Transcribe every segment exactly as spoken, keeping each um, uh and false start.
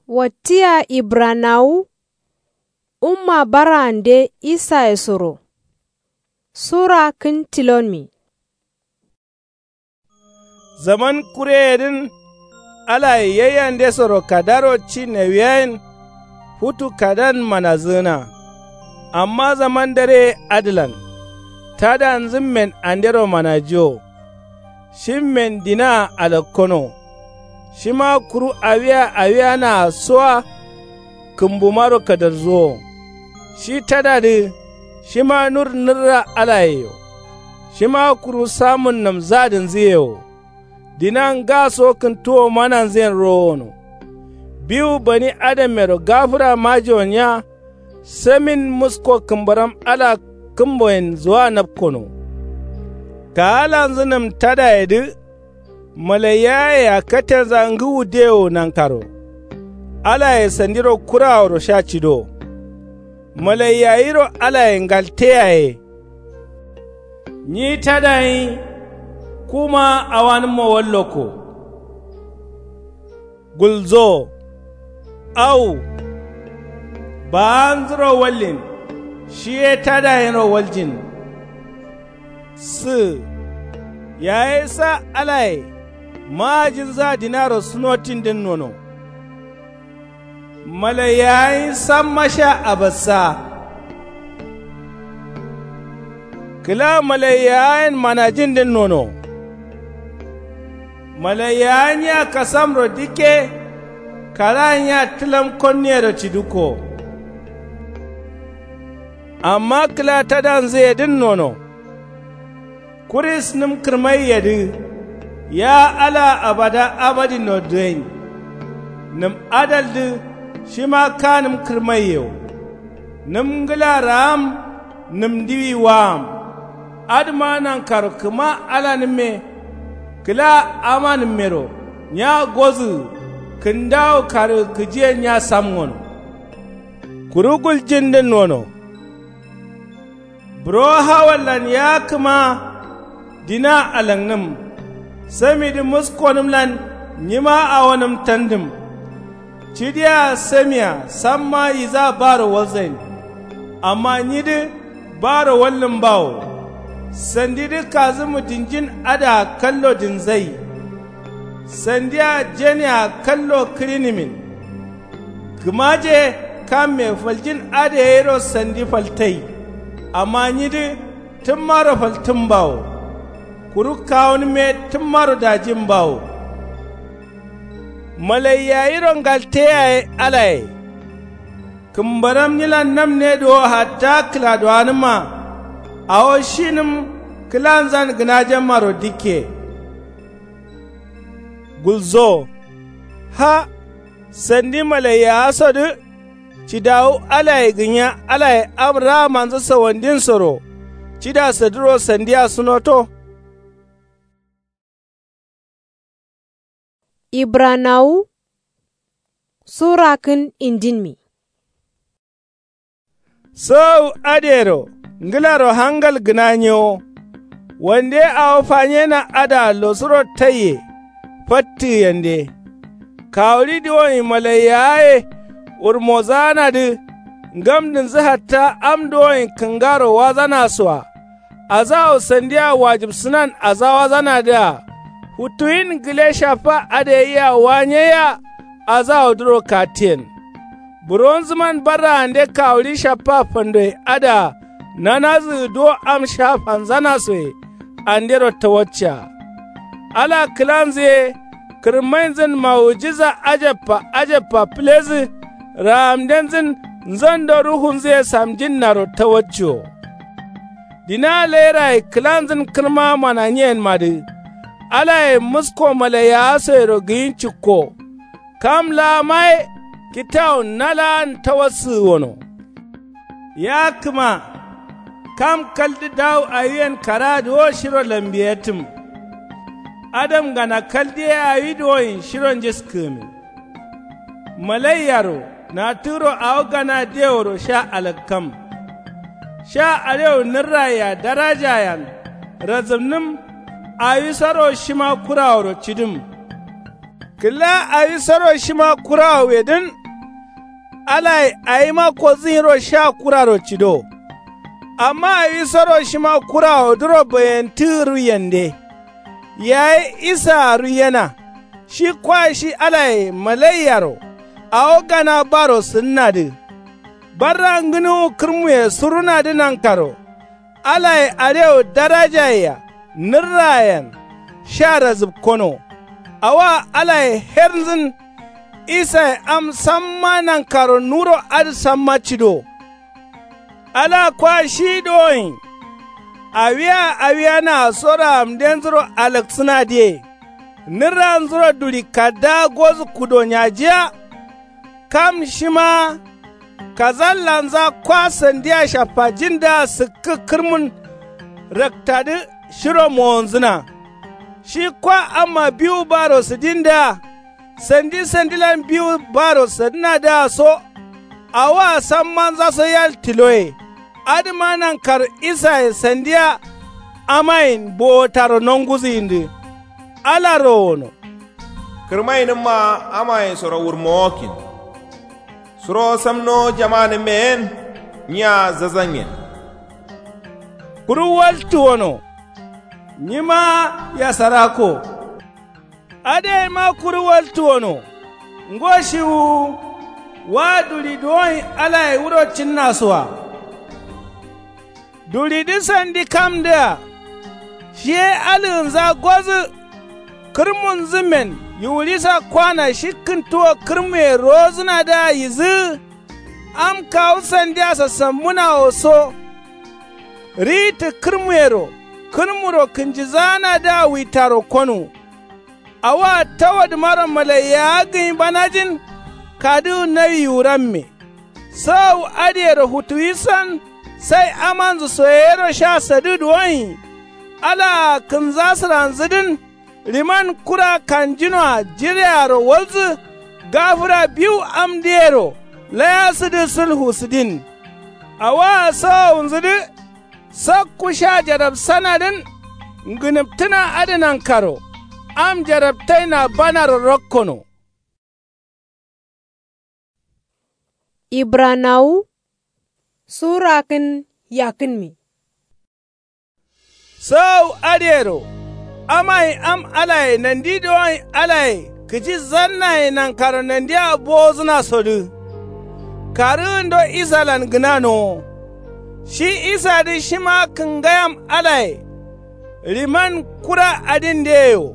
Wattiya ibranawu umma bara'ande isaye soro. Sura kǝn tilonmi. Zaman kureyedǝn alaye yaiyandesoro kadaro ci nawiyayen. Futu kadan manazǝgǝna. Amma zaman dare adǝlan tadanzǝmmen andero manajiwo. Shimmen dinaa alakkono. Shima kuru awiya awiyanaa soa. Kǝmbumaro kadarzuwo. Shi tadadǝ shima nur nǝrra alayeyo. Shima kuru samun namzadǝnzǝye wo. Dina ngaso kǝntuwo mananzǝyen rowono. Biwu bani adammero gafǝra majiwon ya. Samin musko kǝmbaram ala kǝmboyen zuwa napkono. Kaalanzǝ nǝm tadayedǝ. Malaiyaye akkatenza ngǝwu dewo nankaro. Alaye sandiro kuraworo sha cido. Malaiyayiro alaye ngalteyaye. Nyi tadayin kuma awanǝmmo wallokko. Gulzo. Awu. Baanzuro wallin. Shiye tadayinro waljin. Sǝ. Yaye sa alaye. Maajinza dinaro sunotindǝn nono. Malaiyayin samma sha abassa. Kǝla malaiyayin manajindǝn nono. Malaiyayin ya kasamro dikke. Karayin ya tǝlam konniyero cidǝkko. Amma kǝla tadanzǝyedǝn nono. Kuris nǝm kǝrmaiyedǝ. Ya ala abada abadin nodǝyen. Nǝm adaldǝ shima kanǝm kǝrmaiye wo. Nǝm ngǝla raam. Nǝm ndiwi waam. Adǝma nankaro kǝma alanǝmme. Kǝla amanǝmmero nya gozǝgǝ. Kǝndawo karǝgǝ kǝjiyen nya samngono. Kuru guljindǝn nono. Buro hawallan ya kǝma. Dina alangnǝm. Samidǝ muskonǝmlan nyima awonǝm tandǝm. Cidiya samiya samma yiza baro walzain. Amma nyidǝ baro wallǝm bawo. Sandidǝ kazǝmu dǝnjin adǝa kallo dǝnzai. Sandia jenia kallo kǝrinǝmin. Kǝmaje kamme faljin adǝ yayiro sandi faltai. Amma nyidǝ tǝmmaro faltǝmbawo. Kuru kawunǝme tǝmmaro dajimbawo. Malaiyayiro ngalteyaye alaye. Kǝmbaram nyilan namne duwo hatta kǝladuwanǝmma. Awo shinǝm kǝlanzan gǝnajemmaro dikke. Gulzo. Ha. Sandi malaiyaasodǝ. Cidawu alaye gǝnya alaye am raamanzǝ sawandinsoro. Cida sadǝro sandiya sunoto. Ibranawu sura kǝn indinmi. Sowu adǝyero ngǝlaro hangal gǝna nyewo. Wande awo fanyena adǝa losuro taiye. Fattǝgǝyende. Kawuɍi duwonyi malaiyawaye wurmozanadǝ. Ngamdǝnzǝ hatta am duwonyi kǝngaro wazana soa. Azawo sandiya wajibsǝnan azawazanadǝa. Futuwin gǝle shaffa adǝ yayia wa nyaiya. Azawodǝro kattiyen. Buronzǝman barraande kawuɍi shaffa fandoye adǝa. Nanazǝgǝ duwo am sha fanzanasoye. Andero tawaccea. Ala kǝlanzǝ ye. Kǝrmainzǝn mawujiza ajabba ajabba fǝlezǝ. Raamdenzǝn nzando ruhunzǝ ye samjinnaro tawacciwo. Dina lairaye kǝlanzǝn kǝrma mananyiyenmadǝ. Alaye musko malaiyawasoyero gǝyin cikko. Kam laa maye kitawun na laan tawassǝgǝ wono. Ya kǝma. Kam kaldǝ dawu awiyen karadǝ wo shiro lambiyetǝm. Adamgana kaldǝ ye awi duwonyi shiro njiskǝgǝmin. Malaiyaro natǝgǝro awo gana deworo sha alakkam. Sha alewu nǝrrayea darajayen. Razǝmnǝm. Awisoro shima kuraworo cidǝm. Kǝla awi soro shima kurawo wedǝn. Alaye awima kodzǝnyiro sha kuraro cido. Amma awi soro shima kurawodǝro bayentǝgǝ ruiyende. Yayi isaa ruiyena. Shi kwa shi alaye malaiyaro. Awo gana baro sǝdǝnadǝ. Barra ngǝnuwu kǝrmuye surunadǝ nankaro. Alaye arewo darajayea nǝrrayen. Sha razǝpkono. Awoa alaye hernzǝn. Isaye am samma nankaro nuro adǝ samma cido. Ala kwa shi dowoin. Awia awia naa soro amdenzuro alaksǝnadǝye. Nǝrranzuro duri kaddaa gozǝ kudo nyajiya. Kam shima kazallanza kwa sandia shaffajindǝa sǝkkǝ kǝrmun. Raktadǝ shiro mowonzǝna. Shi kwa amma biwu baro sǝdindǝa. Sandi sandilan biwu baro sadǝnadǝa so. Awoa sammanzaso yal tiloye. Adǝma nankaro isaye sandia. Amayin bowotaro nonguzǝyindǝ. Ala rowono. Kǝrmainǝmma amaye soro wurmowokkin. Suro samno jamanǝmmeyen. Nyiya zazanyen. Kuru waltu wono. Nyima yasarako. Adǝ yaima kuru waltu wono. Ngo shiwu. Wa duri duwoin alaye wuro cinnasoa. Duridǝ sandi kamdǝa. Shiye alǝgǝnza gozǝ. Kǝrmunzǝmmen yiwurisa kwana shi kǝntuwo kǝrmuye rowozǝnadǝa yizǝgǝ. Am kawu sandia sasambǝnawo so. Riyittǝ kǝrmuyero kǝrmuro kǝnjizaanadǝa witaro konuwu. Awoa tawadǝmaro malaiyawa gǝnyi banajin. Kadǝwu nawi yiwuramme. Sawu adǝyero futuwisan. Sai amanzǝ soyeyero sha sadǝ duwoin. Alaa kǝnza sǝranzǝdǝn. Riman kura kanjinoa jirearo walzǝ. Gafǝra biwu amdǝyero. Layasǝdǝ sǝlfu sǝdin. Awoa sawawunzǝdǝ. Sakku sha jarabsanadǝn. Ngǝnǝptǝna adǝ nankaro. Am jarabtaina banaro rakkono. Ibranawu. Sura kǝn yakkǝnme. Sawu adǝyero. Amayin am alaye nandi dowoin alaye kǝji zannaye nankaro nandia bowozǝnasodǝ. Karǝgǝndo isalan gǝnanowo. Shi isadǝ shima kǝngayam alaye. Riman kura adindeyewo.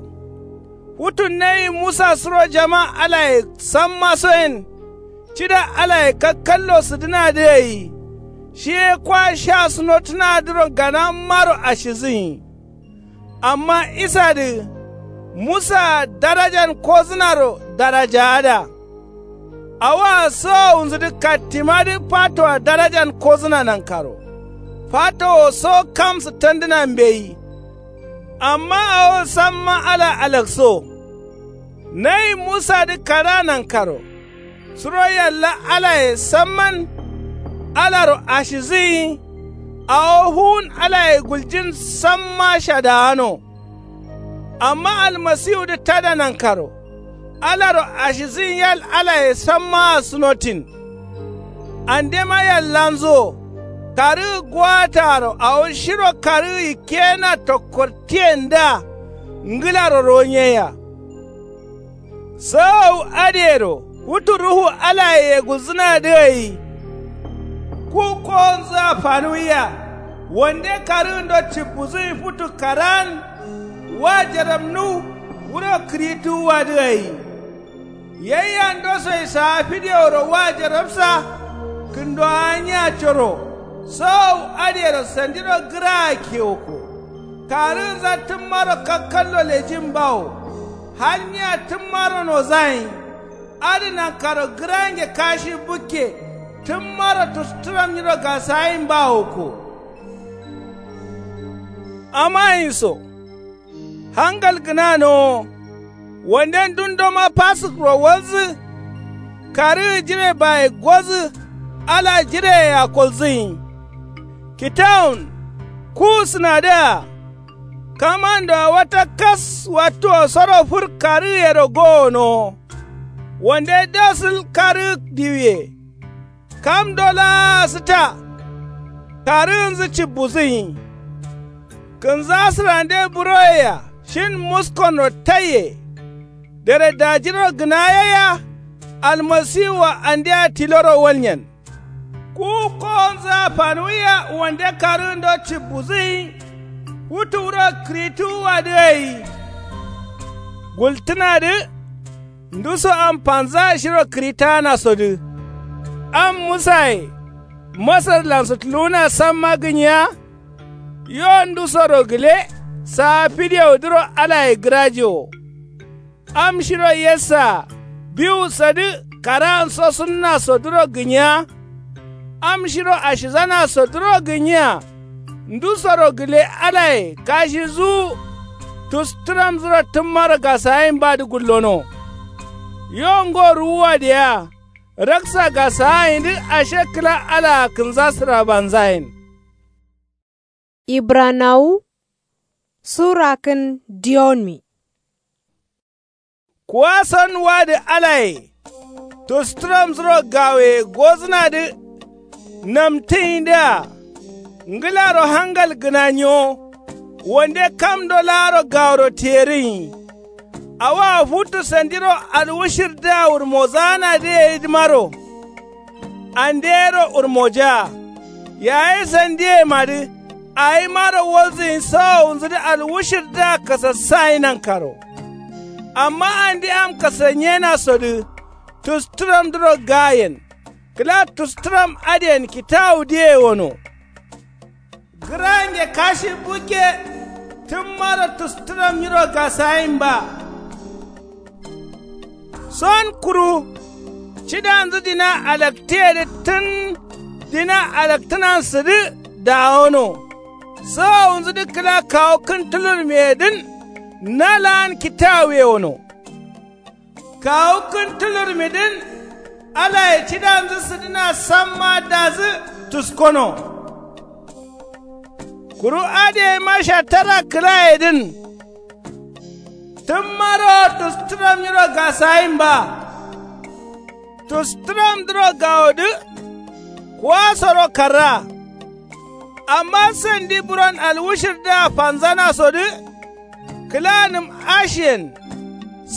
Futu nawi musa suro jama alaye sammasoyen. Cida alaye kakkallo sǝdǝnadǝ gai. Shi ye kwa sha sǝnotǝnadǝro ganammaro ashizǝnyi. Amma isadǝ. Musaa darajan kozǝnaro darajaada. Awoa sawawunzǝdǝ kattimadǝ fatoa darajan kozǝna nankaro. Fatowo so kam sǝttandǝna mbeyi. Amma awo samma ala alakso. Nawi musadǝ kadaa nankaro. Suro yalla alaye samman. Alaro ashizǝnyi. Awo fuwun alaye guljin samma shadaano. Amma almasiwudǝ tada nankaro. Alaro ashizǝnyi yal alaye sammaa sǝnotin. Andema yallanzuwo. Karǝgǝ gowataaro awo shiro karǝgǝ yikkeyena tokkortiyendǝa. Ngǝlaro ronyeyea. Sawawu adǝyero futu ruhu alaye yegulzǝnadǝ gai. Ku kowonzǝa fanuwiya. Wande karǝgǝndo cibbuzǝnyi futu karaan. Wa jarabnuw. Wuro kǝrituwuwadǝ gai. Yayya ndosoye saa fideworo wa jarabsa. Kǝndowa nyiya coro. Sawawu adǝyero sandiro gǝraa kewoko. Karǝgǝnza tǝmmaro kakkallo lejin bawo. Hal nyiya tǝmmaro nozayin. Adǝ nankaro gǝrange kashi bukke. Tǝmmaro tusturam nyiro gasayin bawoko. Amayin so. Hangal gǝnanowo. Wanden dundoma fasǝkro walzǝ. Karǝgǝ jirebaye gozǝ. Ala jireyea kolzǝnyi. Kitawun. Kuwusǝnadǝa. Kamandoa wata kas wattuwo soro fur karǝgǝyero gowonowo. Wande dosǝl karǝg diwiye. Kamdo laa sǝta. Karǝgǝnzǝ cibbusǝnyi. Kǝnzasǝrande buroyea shin muskonro taiye. Dere dajiro gǝnayaiya. Almasiwua andea tiloro walnyen. Kuwu kowonzǝa fanuwiya wande karǝgǝndo cibbusǝnyi. Futu wuro kǝrituwuwadǝ gai. Gultǝnadǝ. Nduso am fanzaa shiro kǝritaanasodǝ. Am musaye. Masarlan sǝtuluwuna samma gǝnyiya. Yo ndusoro gǝle. Saa fidewu dǝro alaye gǝraje wo. Am shiro yessaa biwu sadǝ karaan sosunnasodǝro gǝnyiya. Am shiro ashizanasodǝro gǝnyiya. Ndusoro gǝle alaye kashizuwu. Tustǝramzuro tǝmmaro gasaayinbadǝ gullono. Yo ngo ruwuwadǝ yea. Raksa gasaayindǝ ashe kǝla alaa kǝnzasǝrabanzayen. Ibranawu sura kǝn diyonmi. Kuwason wadǝ alaye. Tustǝramzuro gawoye gozǝnadǝ. Namtǝyindǝa ngǝlaro hangal gǝna nyo. Wande kamdo laaro gaworo tiyerǝnyi. Awoa futu sandiro alwushirda wurmozaanadǝ gaidǝmaro. Andeyero wurmojaa. Yayi sandiyemadǝ awimaro walzǝnyi sawowunzǝdǝ alwushirda kasassayi nankaro. Amma andi am kasannyenasodǝ. Tustǝramdǝro gayen. Kǝla tustǝram adǝyen kitawudǝye wono. Gǝrange kashi bukke. Tǝmmaro tustǝram nyiro gasayinba. Son kuru. Cidanzǝ dina alaktǝyedǝ tǝn. Dina alaktǝnansǝdǝ dawono. Sawowunzǝdǝ kǝla kawu kǝn tulurmiyedǝn. Na laan kitawuye wono. Kawu kǝn tulurmidǝn. Alaye cidanzǝ sǝdǝna samma dazǝ tuskono. Kuru adǝ gaima shattara kǝlayedǝn. Tǝmmaro tustǝram nyiro gasayinba. Tustǝramdǝro gawodǝ. Kuwasoro karra. Amma sandi buron alwushirda fanzanasodǝ. Kǝla nǝm ashiyen.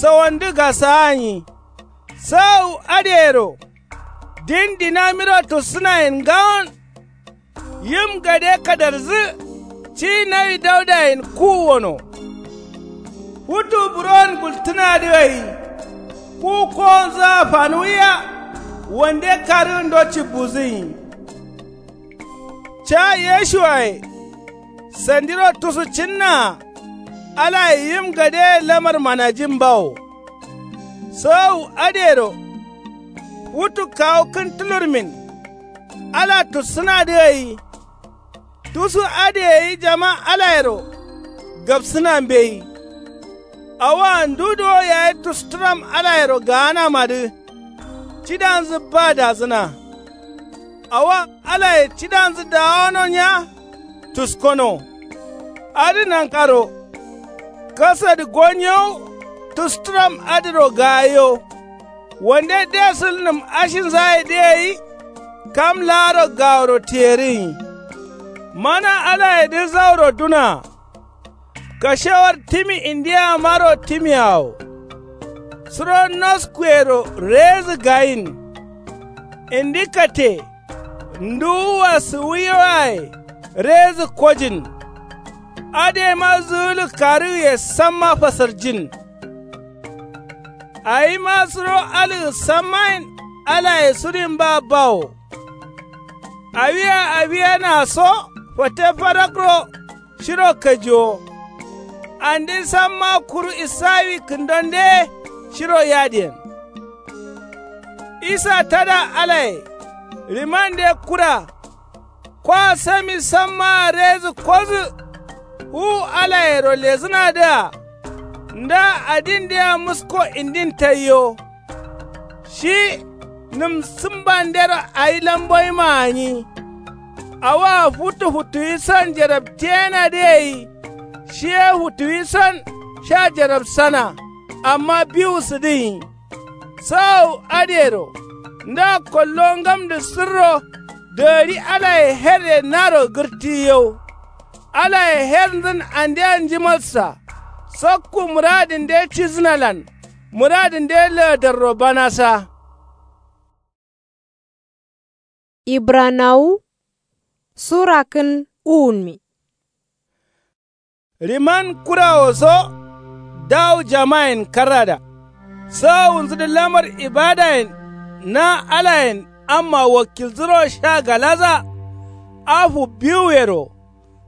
Sawandǝ gasaanyi. Sawu adǝyero. Din dinamiro tussǝnayen ngawon. Yim gade kadarzǝ. Ci nawi daudayen kuwu wono. Futu buron gultǝnadǝ gai. Ku kowonzǝa fanuwiya. Wande karǝgǝndo cibbuzǝnyi. Ca yeshuwaye. Sandiro tusu cǝnnaa. Alaye yim gadeye lamar manajimbawo. Sowowu adǝyero. Futu kawu kǝn tulurmin. Ala tussǝnadǝ gai. Tusu adǝye gai jama alayero. Gapsǝna mbeyi. Awoa ndu duwo yayi tustǝram alayero gaanamadǝ. Cidanzǝ ba dazǝna. Awoa alaye cidanzǝ dawono nya. Tuskono. Adǝ nankaro. Kasadǝ gonyewu. Tustǝram adǝro gayo. Wande desǝl nǝm ashinzayedǝ gai. Kam laaro gaworo tiyerǝnyi. Mana alayedǝ zauro duna. Kashewar timi indiyamaro timiyawo. Suro noskuyero rezǝ gayin. Indi kate. Nduwua sǝwiwaye rezǝ kojin. Adǝ gaima zǝgǝlǝ karǝgǝye samma fasarjin. Awima suro algǝ sammayen alaye sudinba bawo. Awia awiyana so fate farakro. Shiro kajiwo. Andi samma kuru isawi kǝndonde. Shiro yadiyen. Isa tada alaye. Rimande kura. Kwa sami sammaa rezǝ kozǝ. Wu alayero lezǝnadǝa. Nda adindea musko indin taiyo. Shi nǝm sǝmbandero awi lamboyima gǝnyi. Awoa futu futuwi san jerabtiyenadǝ gai. Shi ye futuwi son sha jarabsana. Amma biwu sǝdǝnyi. Sawu adǝyero nda kollo ngamdǝ sǝrro dǝgǝri alaye herre naro gǝrtǝ yau. Alaye hernzǝn andeya njimalsa. Sokku mǝradǝnde cidǝnalan mǝradǝnde laadarro banasa. Ibranawu sura kǝn uwunmi. Riman kurawo so dawu jamayen karrada. Sawunzǝdǝ lamar ibadayen na alayen amma wakkilzǝro sha galaza. Afu biwuyero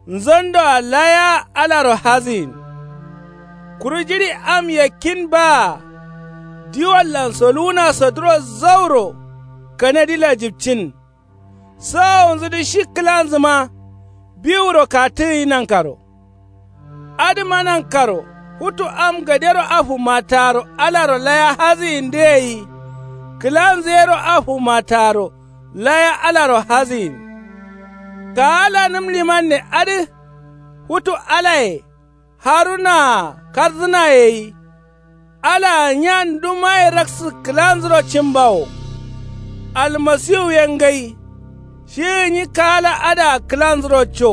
nzondoa laya alaro hazǝyin. Kuru jiɍi am yakkin baa diwallan soluwunaso duro zauro kanadi lajibcin. Sawowunzǝdǝ shi kǝlanzǝma biwuro katǝgǝnyi nankaro. Adǝma nankaro futu am gadero afumataro alaro laya hazǝyindǝ gai. Kǝlanzǝ yero afumataro laya alaro hazǝyin. Kaala nǝm limanne adǝ futu alaye harunaa karzǝnaye gai. Alaa nya ndumaye raksǝ kǝlanzuro cimbawo. Almasiwu ye ngai. Shi gǝnyi kaala adǝa kǝlanzuro co.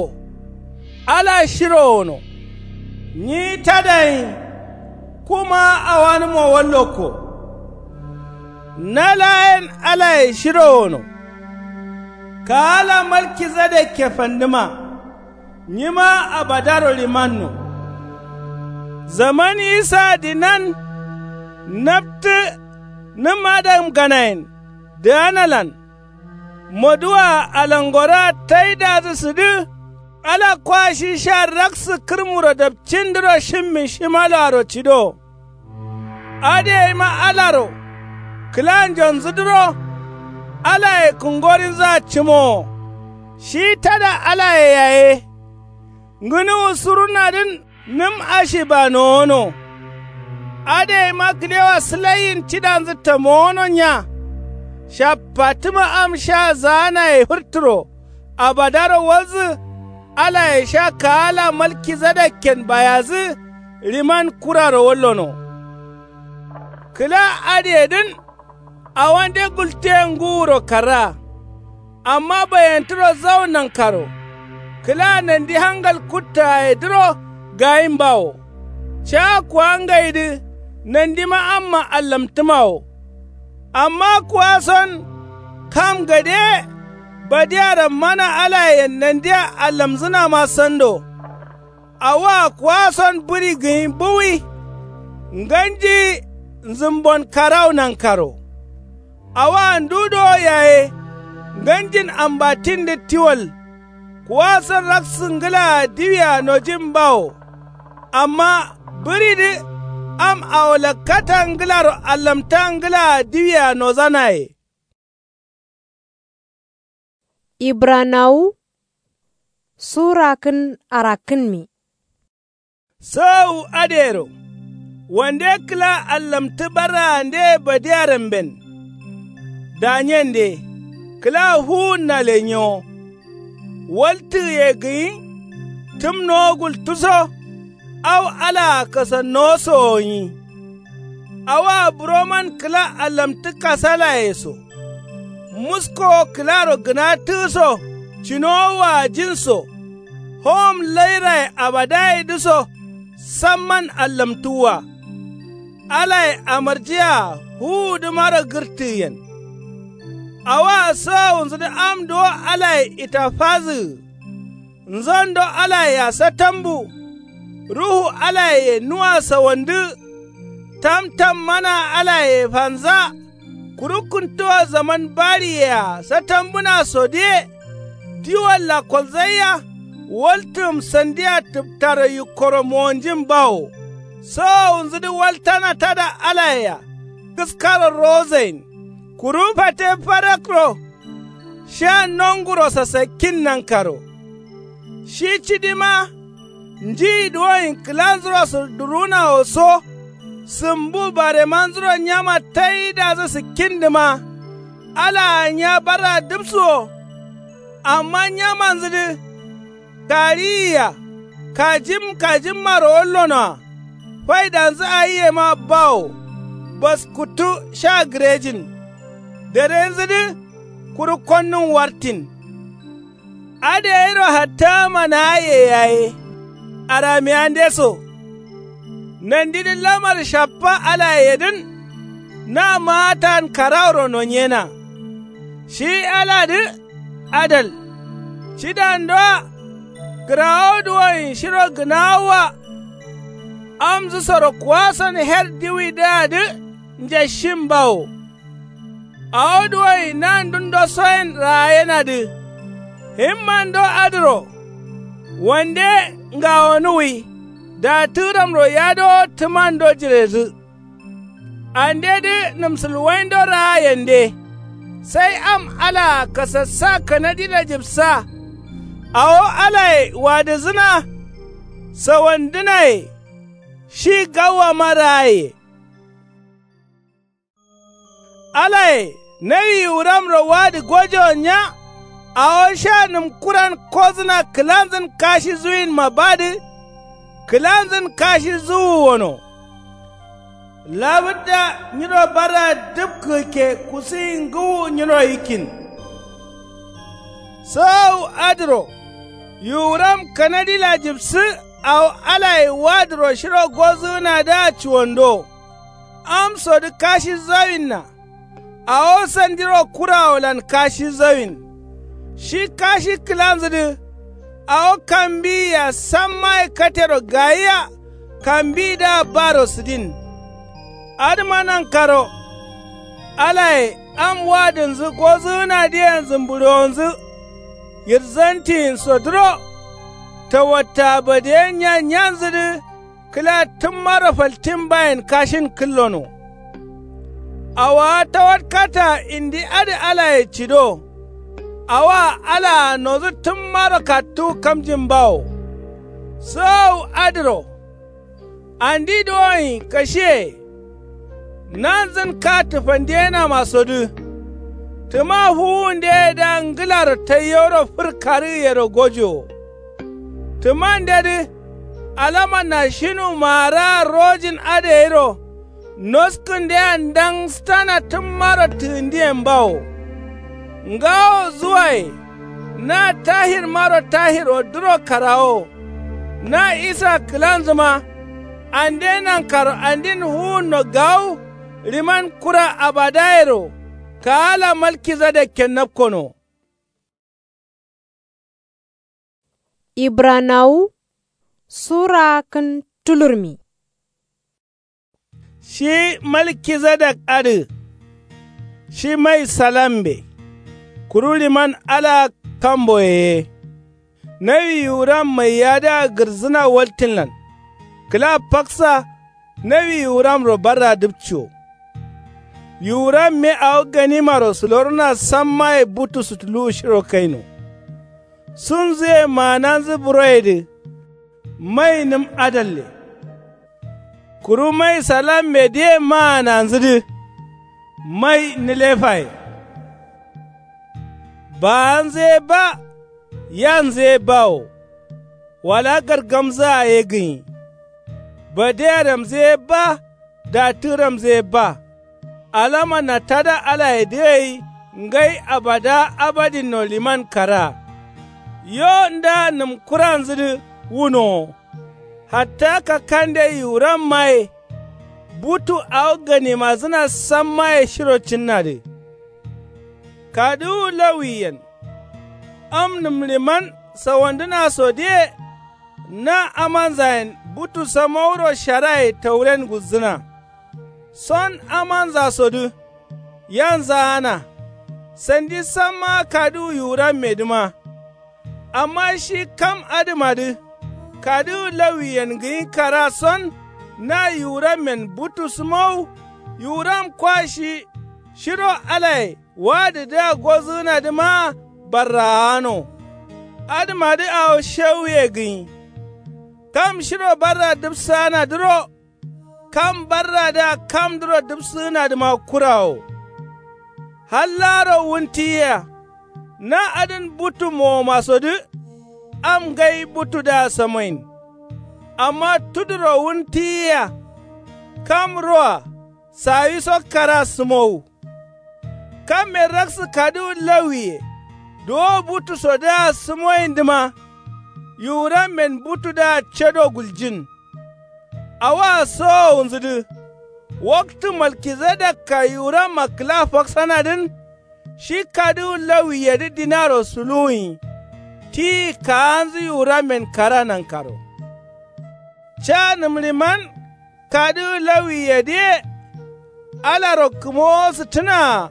Ala shiro gǝno. Nyi tadayin. Kuma awanǝmo wallokko. Na laa yen alaye shiro gǝno. Kaala malkizadekke fandǝma. Nyima abadaro limanno. Zaman isa dinan naptǝ nǝm adamganayen dǝganalan. Moduwaa alangoraa taidadǝ sǝdǝ. Ala kwa shi sha raksǝ kǝrmuro dapcindǝro shimmin shimaloaro cido. Adǝ gaima alaro kǝlanjonzǝdǝro alaye kǝngorinzǝa cǝmowo. Shi tada alaye yaye. Ngǝnuwu surunadǝn nǝm ashiba nowono. Adǝ gaima kǝlewa sǝlaiyin cidanzǝ tamowono nya. Shappatǝma am sha zaanaye fǝrtǝro abadaro walzǝ. Alaye sha kaala malkizadekken bayazǝ. Riman kuraro wallono. Kǝla adǝyedǝn awande gultiye ngǝwuro karraa. Amma bayantǝro zau nankaro. Kǝla nandi hangal kuttagayedǝro gayimbawo. Caa kuwangaidǝ nandima amma allamtǝmawo. Amma kuwason kam gade badiya rammana alayen nandia allamzǝnama sando. Awoa kuwason bǝri gǝnyi buwi. Nganji nzǝmbon karau nankaro. Awoa ndu dowo yaye nganjin ambatindǝ tiwal. Kuwason raksǝ ngǝlaa diwia nojin bawo. Amma bǝridǝ am awo lakkata ngǝlaro allamta ngǝlaa diwia nozanaye. Ibranawu sura kǝn arakkǝnmi. Sawu adǝyero wande kǝla allamtǝ barraandeye badiyaramben. Danyende kǝla fuwunna lenyewo. Waltǝgǝye gǝnyi. Tǝmnowo gultǝso. Au alaa kasannowo sowo nyi. Awoa buroman kǝla allamtǝ kasalaye so. Muskowo kǝlaro gǝnatǝgǝso cinowo waajinso. Howom lairaye abadayedǝso samman allamtǝwwa. Alaye amarjiya fuwudǝmaro gǝrtǝgǝyen. Awoa sawowunzǝdǝ am duwo alaye itafazǝgǝ. Nzondo alayea satambu. Ruhu alayeye nuwa sawandǝ. Tamtam mana alayeye fanza. Kuru kǝntuwa zaman bariyea satambuna sodǝye. Diwalla kolzaiya. Waltǝgǝm sandiya tǝptaro yikkoro mowonjin bawo. Sowowunzǝdǝ waltana tada alayea. Kǝskaro rozain. Kuru fate farakro. Sha nonguro sasakkin nankaro. Shi cidima. Njiyi duwoyin kǝlanzuro sǝrdǝrunawo so. Sǝmbu baremanzuro nyama taidazǝ sǝkkindǝma. Alaa nya barra dǝpsuwo. Amma nyamanzǝdǝ kariyiya. Kajim kajimmaro wallonoa. Faidanzǝ aiyema bawo. Baskuttu sha gǝrejin. Darenzǝdǝ kuru konnun wartin. Adǝ gairo hatta manaye yaye. Aramiyandeso. Nandidǝ lamar shaffa alayedǝn. Na maatan karawuro nonyena. Shi aladǝ adal. Cidandoa. Kǝrawo duwoyin shiro gǝnawoa. Amzǝsoro kuwason her diwidǝadǝ. Njashin bawo. Awo duwoyi nandundo soyen raayenadǝ. Himmando adǝro. Wande ngawonuwi. Datǝramro yadowo tǝmando jiredǝ. Andedǝ nǝmsǝlwaindo raayende. Sai am alaa kasassa kanadila jibsa. Awo alaye wadǝzǝna. Sawandǝnaye. Shi gawwama raaye. Alaye nawi yiwuramro wadǝ gojowo nya. Awo sha nǝmkuran kozǝna kǝlanzǝn kashi zuwinma badǝ. Kǝlanzǝn kashi zuwu wono. Labǝdda nyiro barra dǝpkǝkke kusiyi ngǝwu nyiro yikkin. Sawu adǝro. Yiwuram kanadila jibsǝ. Awo alaye wadǝro shiro gozǝgǝnadǝa cuwando. Amsodǝ kashi zawinna. Awo sandiro kurawolan kashi zawin. Shi kashi kǝlanzǝdǝ. Awo kambiyiya sammaye katero gayiya. Kambiyidǝa baro sǝdin. Adǝma nankaro. Alaye am wadǝnzǝ gozǝgǝnadǝyen zǝmbǝɍowonzǝ. Yirzantiyinso duro. Tawatta badeyen nya nyanzǝdǝ. Kǝla tǝmmaro faltin bayen kashin kǝllono. Awaa tawatkataa indi adǝ alaye cido. Awaa alaa nodǝ tǝmmaro kattuwu kamjin bawo. Sǝwawu adǝro. Andi duwonyi kashiye. Nanzǝn ka tǝfandiyenamasodǝ. Tǝma fuwundeyedǝa ngǝlaro taiyewuro fǝr karǝgǝyero gojowo. Tǝmandedǝ. Alamanna shinu maaraa rojin adǝ gairo. Noskǝndea ndangstana tǝmmaro tǝgǝndiyen bawo. Ngawo zuwaye. Na tahirmaro tahir oddǝro karawowo. Na isa kǝlanzǝma. Ande nankaro andin fuwunno gawu. Liman kura abadayero. Kaala malkizadekken napkono. Ibranawu sura kǝn tulurmi. Shi malkizadak adǝ. Shi mai salambe. Kuru liman ala kamboye ye. Nawi yiwuram maiyadǝa gǝrzǝna waltinlan. Kǝla faksa. Nawi yiwuramro barra dǝpciwo. Yiwuramme awo ganimaro sǝlorona sammaye butu sutuluwu shiro kaino. Sunzǝye maananzǝ buroyedǝ. Mai nǝm adalle. Kuru mai salammedǝye maananzǝdǝ. Mai nǝlefaye. Baanzǝ ye ba. Yanzǝ ye bawo. Wala gargamzǝa ye gǝnyi. Badeyaramzǝ ye ba. Datǝramzǝ ye ba. Alamanna tada alayedǝ gai. Ngai abada abadinno liman karaa. Yo nda nǝmkuranzǝdǝ wunowo. Hatta kakkande yiwurammaye. Butu awo ganimazǝna sammaye shiro cinnadǝ. Kaduwu lawiyen. Am nǝmliman sawandǝnasodǝye. Na amanzayen butu samauro sharaye tauren guzzǝna. Son amanzasodǝ. Yanzaana. Sandi samma kaduwu yiwurammedǝma. Amma shi kam adǝmadǝ. Kaduwu lawiyen gǝnyi kara son. Na yiwurammen butu sǝmowu. Yiwuram kwa shi. Shiro alaye wadǝdǝa gozǝgǝnadǝmaa. Barraano. Adǝmadǝ awo shewuye gǝnyi. Kam shiro barra dǝpsaanadǝro. Kam barradǝa kamdǝro dǝpsǝgǝnadǝma kurawo. Hallaro wuntiyiya. Na adǝn butu mowomasodǝ. Am ngai butudǝa samoyin. Amma tuduro wun tiyiyea. Kam roa sawiso kara sǝmowu. Kamme raksǝ kaduwu lawiye. Duwo butu sodǝa sǝmoyindǝma. Yiwurammen butudǝa cedo guljin. Awoa sowowunzǝdǝ. Waktǝ malkizedekka yiwuramma kǝla faksanadǝn. Shi kaduwu lawiyedǝ dinaro suluwunyi. Tiyi kaanzǝ yiwurammen kara nankaro. Ca nǝmriman kaduwu lawiyedǝye. Alaro kǝmowo sǝttǝnaa.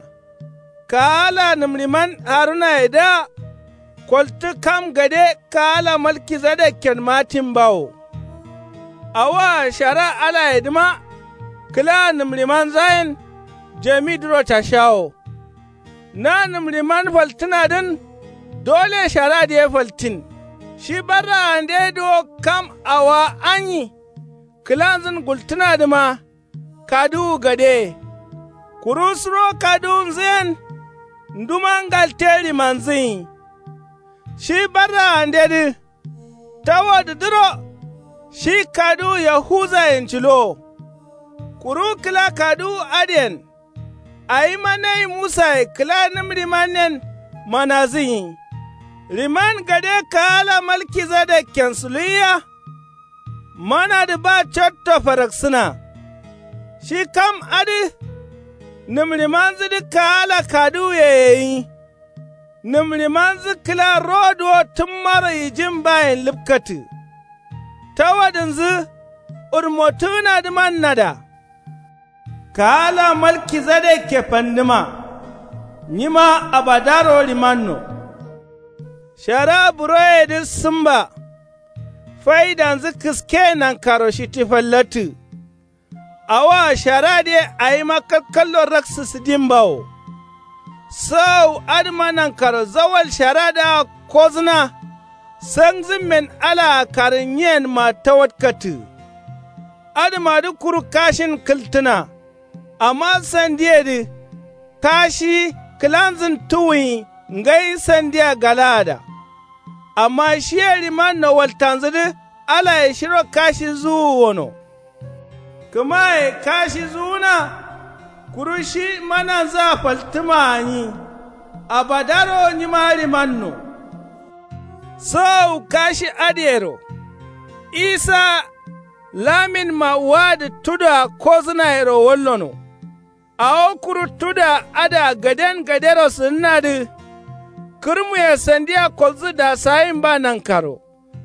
Kaala nǝmriman harunayedǝa. Koltǝ kam gade kaala malkizedekken matin bawo. Awoa shara alayedǝma. Kǝla nǝmrimanzayen jamidǝro tashawo. Na nǝmriman faltǝnadǝn. Dole sharadǝ ye faltin. Shi barraandedǝ wo kam awoa anyi. Kǝlanzǝn gultǝnadǝma. Kaduwu gadeye. Kuru suro kaduwunzǝyen. Nduma ngalte rimanzǝnyi. Shi barraandedǝ. Tawodǝdǝro. Shi kaduwu yahuzayen cǝlowo. Kuru kǝla kaduwu adǝyen. Awima nai musaye kǝla nǝm rimannen. Manazǝnyi. Riman gade kaala malkizedekken suluwiya. Manadǝ ba cotto faraksǝna. Shi kam adǝ. Nǝmrimanzǝdǝ kaala kaduwuye yeyi. Nǝmrimanzǝ kǝla rodǝ wo tǝmmaro yijin bayen lǝpkatǝ. Tawadǝnzǝ. Urmotǝgǝnadǝman nada. Kaala malkizedekke fandǝma. Nyima abadaro rimanno. Shara buroyedǝ sǝmba. Faidanzǝ kǝske nankaro shitti fallattǝ. Awoa sharadǝye awima kalkallo raksǝ sǝdin bawo. Sǝwawu adǝma nankaro zawal sharadǝa kozǝna. Sangzǝmmen alaa karǝnyiyenma tawatkatǝ. Adǝmadǝ kuru kashin kǝltǝna. Amma sandiyedǝ. Kashi kǝlanzǝn tuwunyi ngai sandiya galaada. Amma shiye rimanno waltanzǝdǝ alaye shiro kashi zuwu wono. Kǝmaye kashi zuwuna. Kuru shi mananzǝa faltǝma gǝnyi. Abadaro nyima rimanno. Sǝwawu kashi adǝyero. Isa. Laminma wadǝ tudoa kozǝnayero wallono. Awo kuru tuda adǝa gaden gadero sǝdǝnadǝ. Kǝrmuye sandiya kolzǝ dasayinba nankaro.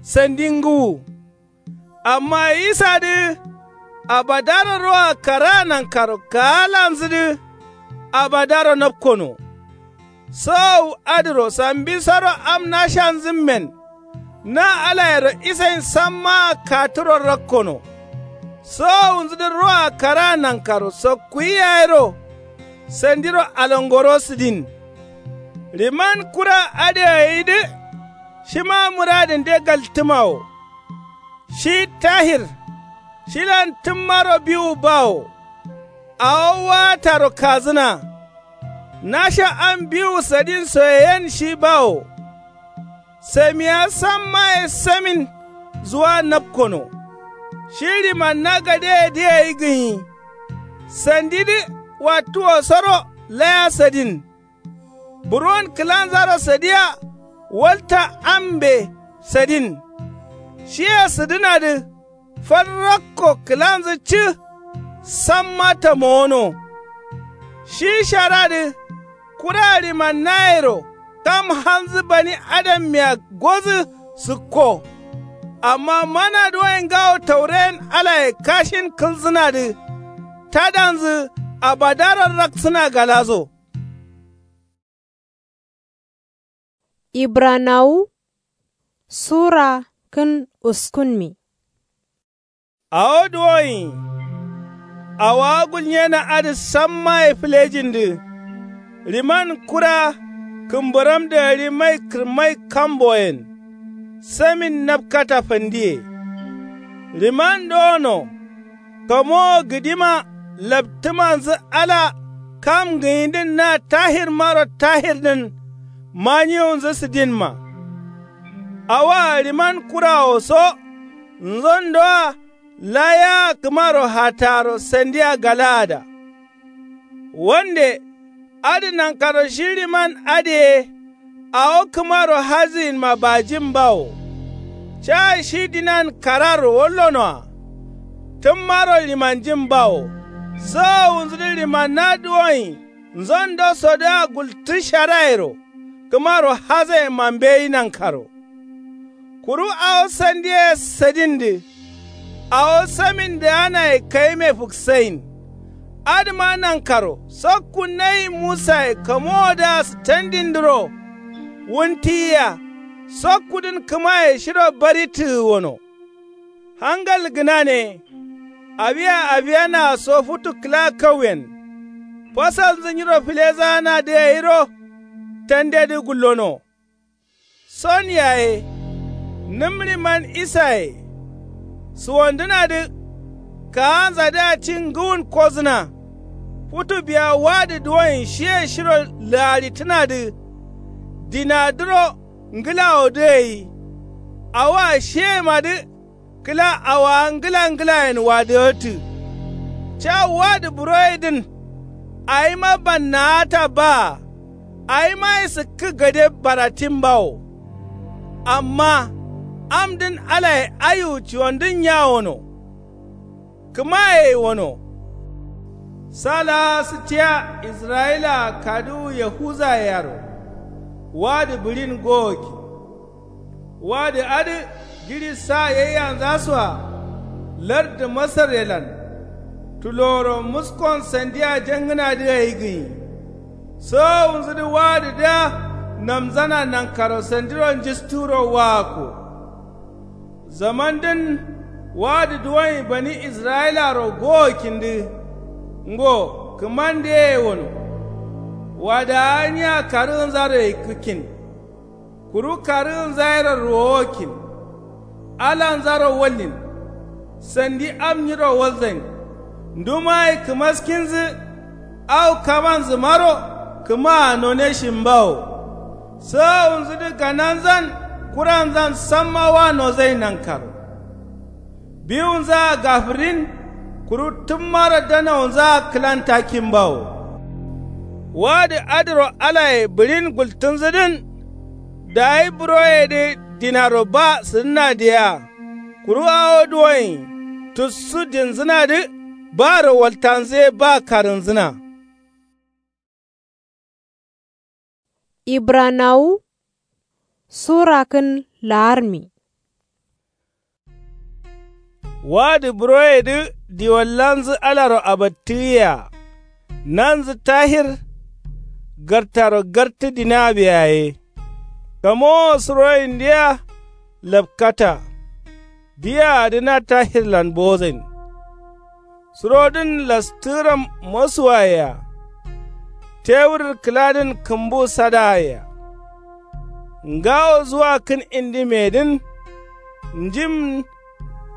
Sandi ngǝwu. Amma yisadǝ. Abadaro roa karaa nankaro kaalanzǝdǝ. Abadaro napkono. Sowowu adǝro sambisoro am nashanzǝmmen. Na alayero isain sammaa katuro rakkono. Sowowunzǝdǝ roa karaa nankaro sokkuyi yayero. Sandiro alangoro sǝdin. Riman kura adǝ gayidǝ. Shima mǝradǝnde galtǝma wo. Shi tahir. Shilan tǝmmaro biwu bawo. Awo waataro kazǝna. Nasha am biwu sadin soye yen shi bawo. Samiya sammaye samin. Zuwa napkono. Shi rimanna gadeyedǝ gai gǝnyi. Sandidǝ wattuwosoro laya sadin. Buron kǝlanzaro sadiya. Walta ambe sadin. Shiye sǝdǝnadǝ. Farrakko kǝlanzǝ cǝ. Samma tamowono. Shi sharadǝ. Kura rimannayero kam halnzǝ bani adammiya gozǝ sǝkko. Amma mana duwai ngawo tauren alaye kashin kǝlzǝnadǝ. Tadanzǝ abadaro raksǝna galaso. Ibranawu sura kǝn uskunmi. Awo duwoyi. Awowa gulnyena adǝ sammaye fǝlejindǝ. Riman kura kǝmbǝramdǝ gari mai kǝrmai kamboyen. Samin napkata fandiye. Riman dowono. Kamowo gǝdima laptǝmanzǝ ala kam gǝnyidǝn na tahirmaro tahirdǝn. Manyiwunzǝ sǝdinma. Awoa riman kurawo so. nzondoa. Laya kǝmaro hattaro sandiya galaada. Wande adǝ nankaro shi liman adǝ ye. Awo kǝmaro hazǝyinma bajin bawo. Ca shi dinan kararro wallonoa. Tǝmmaro limanjin bawo. Sowowunzudǝ limanna duwoyin nzondosodǝa gultǝ sharayero. Kǝmaro hazayenma mbeyi nankaro. Kuru awo sandiye sadindǝ. Awo samindǝanaye kayime fǝksayin. Adǝma nankaro sokku nayi musaye kamowodǝa sǝtandindǝro. Wuntiyia sokkudǝn kǝmaye shiro bari tǝgǝwono. Hangal gǝnane. Awiya awiyanaa so futu kǝla kauyen. Fasalnzǝ nyiro filezaanadǝ gairo. Tandedǝ gullono. Son yaye. Nǝm liman isaye. Suwandǝnadǝ. Kaanzadǝa ci ngǝwun kozǝna. Futu biya wadǝ duwoyin shiye shiro laaritǝnadǝ. Dinadǝro ngǝlawodǝ gai. Awoa shiyemadǝ. Kǝla awaa ngǝla ngǝlayen wadǝgǝttǝ. Ca wadǝ buroyedǝn. Awima bannaata baa. Awima ye sǝkkǝ gade baratin bawo. Amma amdǝn alaye aiwu ciwandǝn yawono. Kǝmaye wono. Sa laa sǝtiya israyilaa kaduwu yahuzaye yero. Wadǝ bǝɍin gowoki. Wadǝ adǝ jiɍi sa yaiyanzasoa. Lardǝ masaryelan. Tuloworo muskon sandiya jangǝnadǝ gai gǝnyi. Sowowunzudǝ wadǝdǝa. Namzana nankaro sandiro njisturo waakko. Zamandǝn wadǝ duwonyi bani israyilaro gowokkindǝ. Ngo kǝmandǝ ye wono. Wadawa nya karǝgǝnzaro yikkǝkkin. Kuru karǝgǝnza yero ruwowokkin. Alanzaro wallin. Sandi am nyiro walzain. Ndumayi kǝmaskinzǝ. Au kamanzǝmaro kǝmaa noneshin bawo. Sowowunzudǝ gananzan kuranzan samma wa nozain nankaro. Biwunzaa gafǝrin. Kuru tǝmmaro danawunzaa kǝlantakkin bawo. Wadǝ adǝro alaye bǝɍin gultǝnzǝdǝn. Dayi buroyedǝ dinaro ba sǝdǝnadǝ yea. Kuru awo duwoyin tussu dinzǝnadǝ. Baro waltanzu ye ba karǝnzǝna. Ibranawu sura kǝn laarmi. Wadǝ buroyedǝ diwallanzǝ alaro abattǝgǝyea. Nanzǝ tahir gartaro gartǝ dina biyaye. Kamowo suroyindǝ yea lapkata. Diyaadǝ na tahirlan bozain. Surodǝn lastǝgǝram mosuwaye-a. Tewur kǝladǝn kǝmbu sadaye-a. Ngawo zuwakǝn indimedǝn. Njim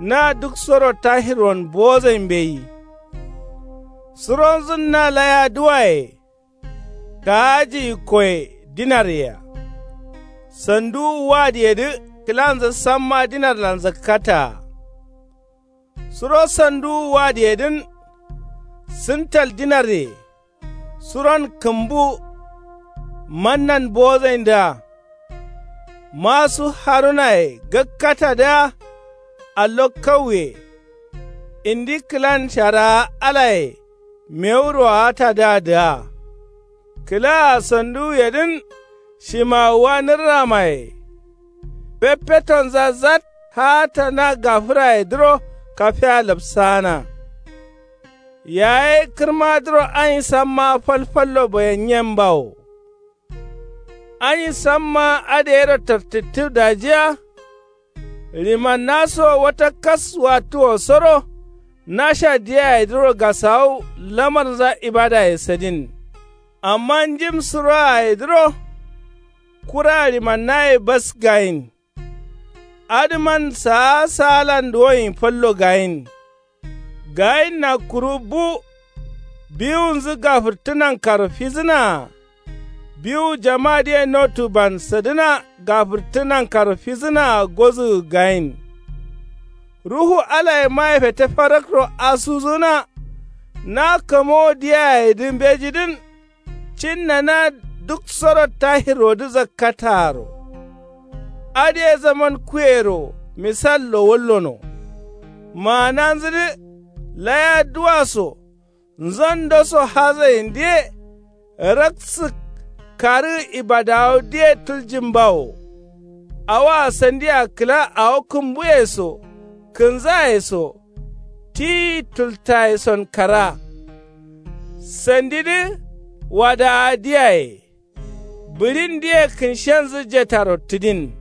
na duksoro tahirwon bozain mbeyi. Suronzǝn na laya duwaye. Kaaji yikkoye dinarye-a. Sanduwu wadǝyedǝ kǝlanzǝ samma dinarlan zakkataa. Suro sanduwu wadǝyedǝn. Sǝntal dinarye. Suron kǝmbu. Mannan bozaindǝa. Masu harunaye gakkatadǝa. Allo kauye. Indi kǝlan sharaa alaye. Mewu roatadǝadǝa. Kǝlaa sanduwuyedǝn. Shimawuwa nǝrramaye. Feffetonza zat haata na gafǝrayedǝro kafeya lapsaana. Yaye kǝrmadǝro anyi samma falfallo bayanyen bawo. Anyi samma adǝ yero tartǝttǝ dajiya. Limanna so wata kas wattuwosoro. Nasha diyayedǝro gasawu lamarnza ibadaye sadin. Amma njim suroyayedǝro. Kura limannaye bas gayin. Adǝman saa saalan duwoyin fallo gayin. Gayinna kuru bu. Biwunzǝ gafǝrtǝ nankaro fizǝnaa. Biwu jamadǝye notu ban sadǝna gafǝrtǝ nankaro fizǝnaa gozǝgǝ gayin. Ruhu alayemaye fete farakro asuzǝna. Na kamowo diyaye dǝ mbejidǝn. Cinna na duk soro tahirrodǝ zakkataaro. Adǝye zaman kuyero misallo wallono. Maananzǝdǝ laya duwa so nzando so hazayindǝye. Raksǝk karǝgǝ ibadawo diye tuljin bawo. Awoa sandia kǝla awo kǝmbuye so kǝnzaye so tiyi tultaye son kara. Sandidǝ wadawa diyaye. Bǝɍin diye kǝnshenzǝ jetaro tǝdin.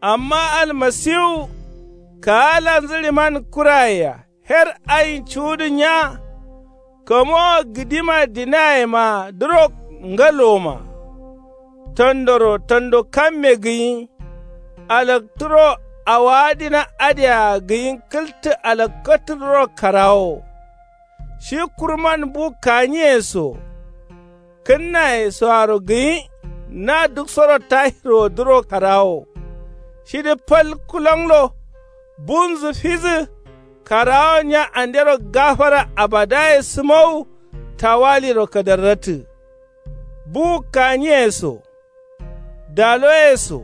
Amma almasiwu kaalanzǝ riman kurayeya her ayin cuwudǝ nya. Kamowo gǝdima dinayema duro ngalowoma. Tandoro tando kamme gǝnyi. Alakturo awowa dina adǝyea gǝnyi kǝltǝ alakkatǝduro karawo. Shi kurman bu kaniye so kǝnnaye soaro gǝnyi. Na duk soro tahirwodǝro karawo. Shidǝ fal kulonglo bunzǝ fizǝ. Karawo nya andero gafara abadaye sǝmowu. Tawaliro kadarratǝ. Buwu kaniye so daloye so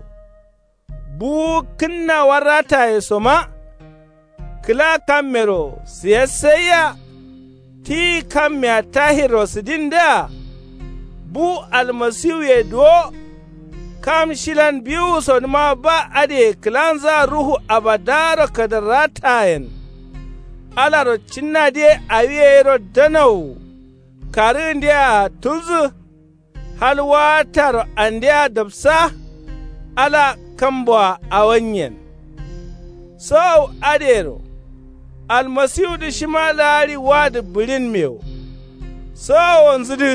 buwu kǝnna warrataye soma. Kǝla kammero siyassaiya. Tiyi kammea tahirro sǝdindǝa. Bu almasiwuye duwo. Kam shilan biwusodǝma ba adǝye kǝlanzaa ruhu abadaro kadarratayen. Alaro cinnadǝye awiye yero danawu. Karǝgǝndeyea tulzǝ. Hal waataro andea dapsa. Ala kamboa awanyen. Sowow adǝyero almasiwudǝ shima laaɍi wadǝ bǝɍinmewo. Sowowonzudǝ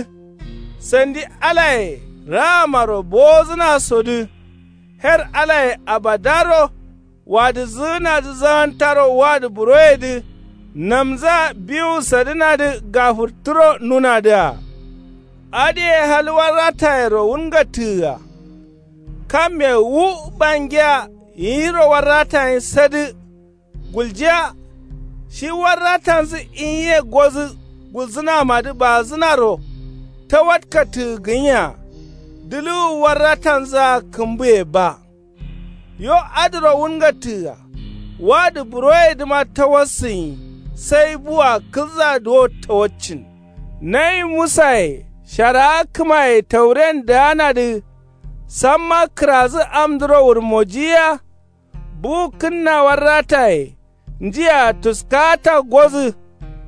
sandi alaye rahamaro bowozǝnasodǝ. Her alaye abadaro wadǝzǝgǝnadǝ zagantaro wadǝ buroyedǝ. Namza biwu sadǝnadǝ gafurturo nunadǝa. Adǝye hal warratayero wulngattǝgǝa. Kamme wu bangiya yiro warratayin sadǝ. Guljiya shi warratanzǝ inye godǝ gulzǝnamadǝ baazǝnaro. Tawatkattǝgǝ gǝnya dǝlǝwu warratanzǝa kǝmbuye ba. Yo adǝro wulngattǝgǝa. Wadǝ buroyedǝma tawassǝnyi. Sai bua kǝlza duwo tawaccin. Nayi musaye sharawa kǝmaye tauren daanadǝ. Samma kǝrazǝ amdǝro wurmojiyiya. Bu kǝnna warrataye. Njiya tuskata godǝ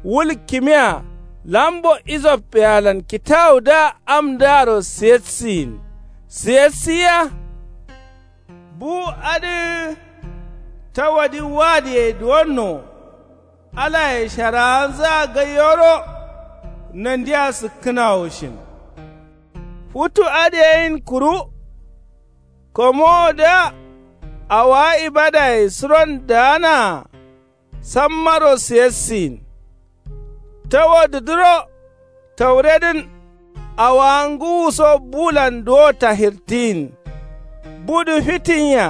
wul kimiya lambo isop yalan kitawudǝa amdǝaro siyassiyin. Siyassiya. Bu adǝ tawadǝ wadǝye duwonno. Alaye sharawanzǝa gaiyoro. Nandia sǝkkǝnawo shin. Futu adǝ yeyin kuru. Komowodǝa awowa ibadaye suron daanaa. Sammaro siyassiyin. Tawadǝdǝro tauredǝn. Awowa ngǝwuso bulan duwo tahirtiyin. Budǝ fitinya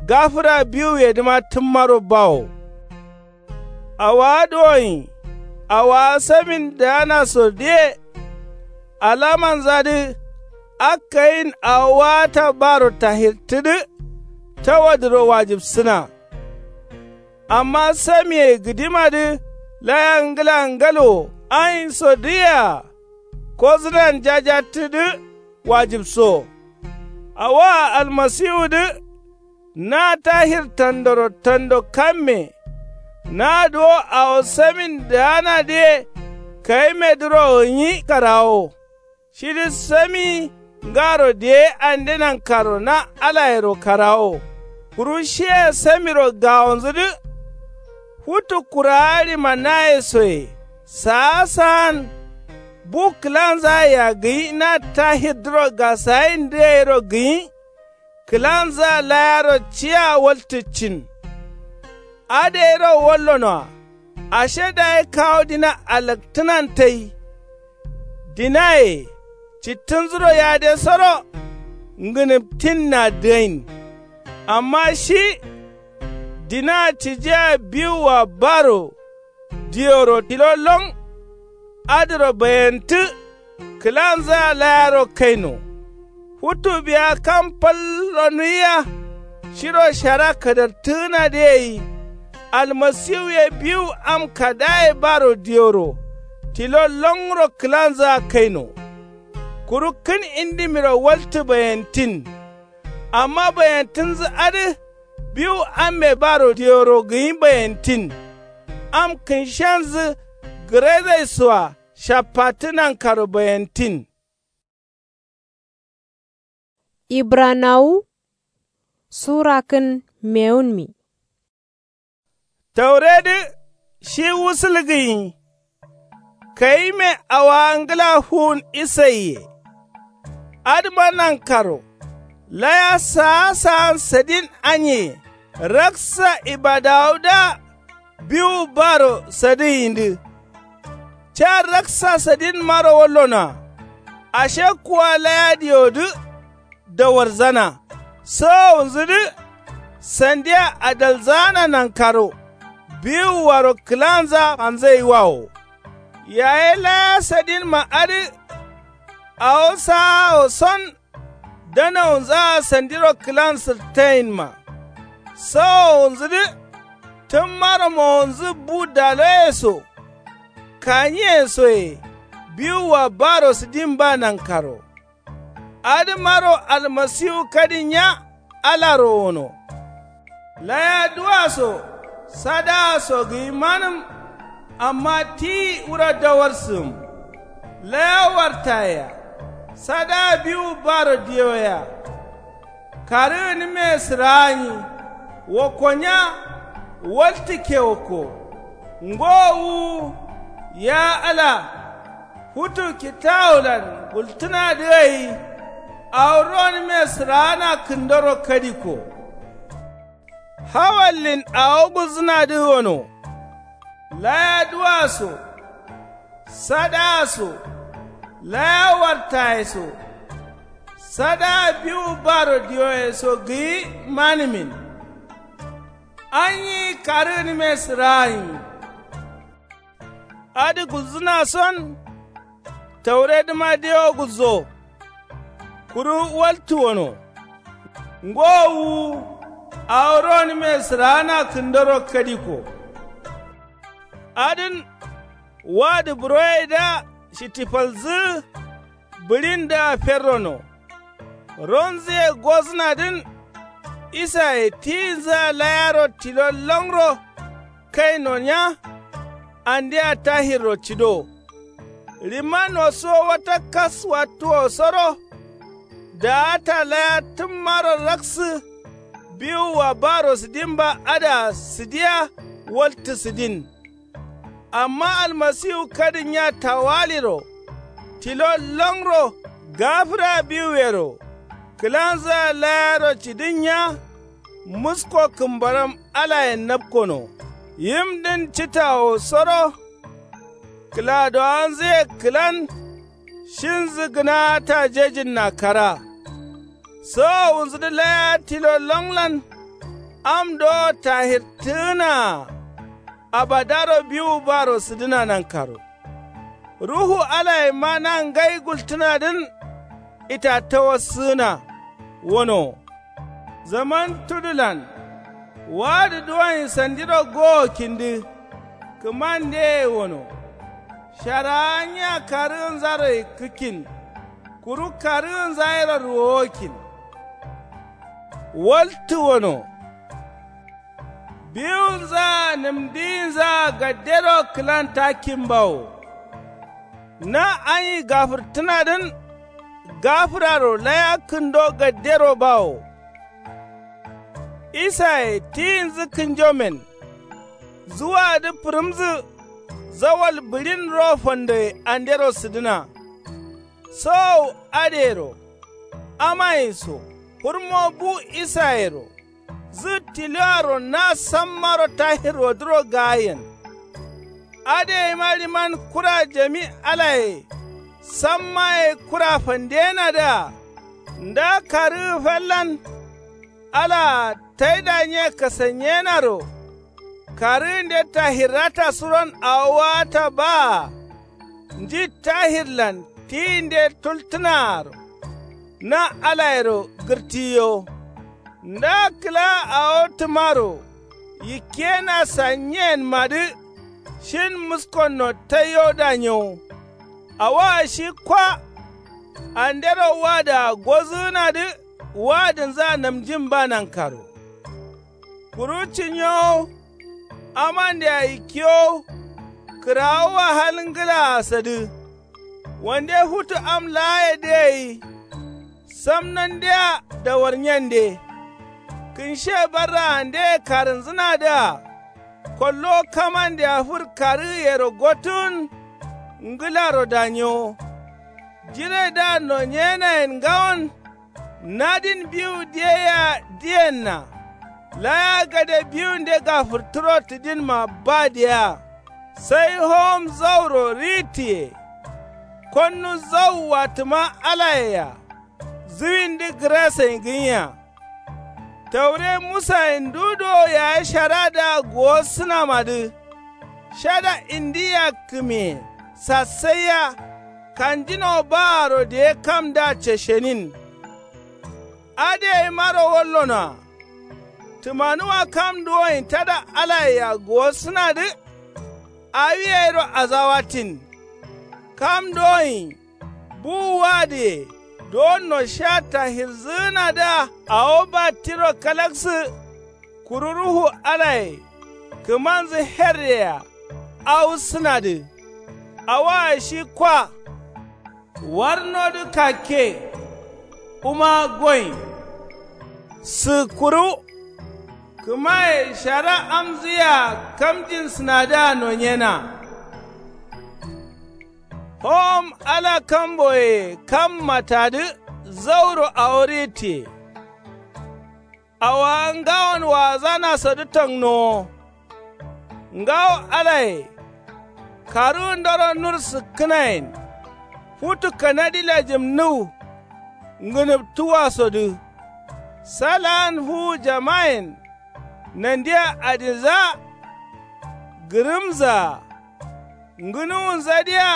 gafǝra biwuyedǝma tǝmmaro bawo. Awowa duwonyi awowa samin daanasodǝye. Alamanzadǝ akkayin awo waata baro tahirtǝdǝ. Tawadǝro wajibsǝna. Amma samiye gǝdimadǝ laya ngla ngalo ayinsodǝyea. Kozǝnan jajattǝdǝ wajibso. Awoa almasiwudǝ. Na tahir tandoro tando kamme. Na duwo awo samin daanadǝye kayimedǝro gǝnyi karawo. Shidǝ sami ngaro diye ande nankaro na alayero karawo. Kuru shiye samiro gawonzudǝ. Futu kurawa ɍimanayesoye saa saan. Bu kǝlanzayea gǝnyi na tahirdǝro gasayindǝ gairo gǝnyi. Kǝlanzǝa layaro ciya waltǝccin. Adǝ gairo wallonoa. Ashe dayi kawo dina alaktǝnan tai. Dinaye cittǝnzuro yadesoro. Ngǝnǝptinna dǝgain. Amma shi Dina cijia biwua baro dioro tilo lon adǝro bayentǝ. Kǝlanzǝa layaro kaino futu biya kam fal ronuwiya. Shiro shara kadartǝgǝnadǝ gai almasiwu ye biwu am kadaye baro dioro tilo lonro kǝlanzǝa kaino. Kuru kǝn indimiro waltǝ bayentin. Amma bayentǝnzǝ adǝ biwu amme baro dioro gǝnyi bayentin. Am kǝnshenzǝ gǝrezaisoa shaffattǝ nankaro bayentin. Ibranawu sura kǝn mewunmi. Tauredǝ shi wusǝl gǝnyi. Kayime awowa ngla fuwun isaiye. Adǝma nankaro laya saa saan sadin anye. Raksa ibadawudǝa biwu baro sadǝgǝnyidǝ. Ca raksa sadinmaro wallonoa. Ashe kuwa laya diodǝ dawarzana. Sowowunzudǝ sandia adalzaana nankaro biwuaro kǝlanza fanzaiwawo. Yaye laya sadinma adǝ awo saawo son danawunzaa sandiro kǝlan sǝrtainma. Sowowunzudǝ tǝmmaro mowonzǝ bu daloye so kanyiye soye biwua baro sǝdin ba nankaro. Adǝmaro almasiwu kadin nya alaro wono. Laya duwa so sadaa so gǝyi manǝm. Amma tiyi wuro dawarsǝgǝm. Laya wartayea sadaa biwu baro diyoyea. Karǝgǝnǝme sǝraanyi wokko nya. Waltǝkke wokko ngowo wuwu. Ya ala futu kitawulan gultǝnadǝ gai awo ronǝme sǝraana kǝndoro kadikko. Hawallin awo gulzǝnadǝ wono. Laya duwa so sadaa so laya wartaye so sadaa biwu baro diyoye so gǝyi manǝmin. Anyi karǝgǝnǝme sǝraanyi. Adǝ gulzǝna son tauredǝma dewo gulzo. Kuru waltǝ wono. Ngowo wuwu awo ronǝme sǝraana kǝndoro kadikko. Adǝn wadǝ buroyedǝa shittifalzǝgǝ. Bǝɍindǝa ferrono. Ronzǝye gozǝnadǝn. Isaye tiyinzǝa layaro tilo longro kaino nya. Andea tahirro cido. Ɍimma nosuwo wata kas wattuwosoro. Daata laya tǝmmaro raksǝ. Biwua baro sǝdimba adǝa sǝdiya. Waltǝ sǝdin. Amma almasiwu kadǝn nya tawaliro tilo longro gafǝra biwuyero. Kǝlanzǝa layaro cidin nya. Musko kǝmbaram alayen napkono. Yimdǝn citawosoro. Kǝladowanzǝye kǝlan. Shinzǝ gǝnaa tajejinna kara. Sowowunzudǝ laya tilo longlan. Am dowo tahirtǝgǝnaa. Abadaro biwu baro sǝdǝna nankaro. Ruhu alayema na ngai gultǝnadǝn. Itattawassǝgǝna wono. Zaman tudulan wadǝ duwonyi sandiro gowo kindǝ. Kǝmandeye wono. Sharaa nya karǝgǝnzaro yikkǝkkin. Kuru karǝgǝnza yero ruwowokkin. Waltǝ wono. Biwunzaa nǝmdiyinzaa gaddero kǝlan takkin bawo. Na anyi gafǝrtǝnadǝn. Gafǝraro laya kǝndo gaddero bawo. Isaye tiyinzǝ kǝnjomen. Zuwadǝ fǝrǝmzǝ zawal bǝɍin ro fandoye andero sǝdǝna. Sowowu adǝyero. Amaye so fǝrmo bu isayero. Zǝ tiloaro na sammaro tahirrodǝro gaayen. Adǝ yeima ɍiman kura jami alaye. Sammaye kura fandeyenadǝa. Nda karǝgǝ fallan. Alaa taida nye kasanyenaro karǝgǝnde tahirrata suron awo wata baa. Nji tahirlan tiyinde tultǝnaaro na alayero gǝrtiyo. Nda kǝla awo tǝmaro yikkiyena sanyiyenmadǝ shin muskonno taiyo danyewo. Awoa shi kwa andero wadǝa gozǝgǝnadǝ wadǝnzǝa namjin ba nankaro. Kuru cinyowo amandea yikkiyowo kǝrawoa hal ngǝlaa sadǝ. Wande futu am laayedǝ gai samnandea dawarnyende. Kǝnshe barraandeye karǝnzǝnadǝa kollo kamandea fǝr karǝgǝyero gotǝgǝn ngǝlaro danyewo. Jiredǝa nonyenayen ngawon nadin biwu diye yea diyenna. Laya gade biwunde gafǝrtǝro tǝdinma ba diyea sai howom zauro ritǝye. Konnu zau watǝma alayea zǝwindǝ gǝrasain gǝnya. Taure musayen ndu do yaye sharadǝa guwossǝnamadǝ shada indi yakkǝmiye sassaiya. Kanjino baaro diye kamdǝa ceshenin. Adǝ yaimaro wallonoa tǝmanuwa kam duwoin tada alayea guwossǝnadǝ. Awi yairo azawatin kam duwoin buwu wadǝye duwonno sha tahirzǝgǝnadǝa awo battiro kalaksǝ. Kuru ruhu alaye kǝmanzǝ herreyea awussǝnadǝ. Awoa shi kwa warnodǝ kakke. Kuma goin sǝkkuru kǝmaye shara amzǝyea kamjin sǝnadǝa nonyena. Howom ala kamboye kam matadǝ zauro awo ritǝye. Awowa ngawon waazanasodǝ tangnowo. Ngawo alaye karǝgǝndoro nur sǝkkǝnayen futu kanadi lajǝmnǝwu ngǝnǝptuwasodǝ. Salaan fuwu jamayen nandia adinzaa gǝrǝmzaa ngǝnuwunzadǝa.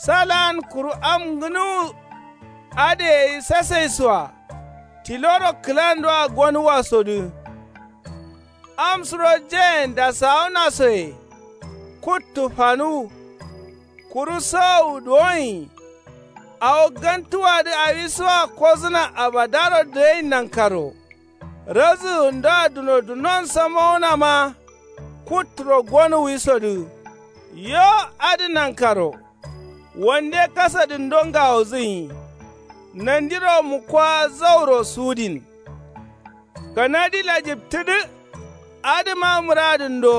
Salaan kuru am ngǝnuwu adǝ gai sasaisoa tiloro kǝlandoa gonuwasodǝ. Am suro jayen dasawunasoye kuttu fanuwu. Kuru sowowu duwoin awo gantuwadǝ awisoa kozǝna abadaro dǝgain nankaro. Razǝgǝndoa dunodunon samowunama kutturo gonuwisodǝ. Yo adǝ nankaro wande kasadǝndo ngawozǝnyi. Nandiro mukkowa zauro sudin. Kanadi lajǝptǝdǝ adǝma mǝradǝndo.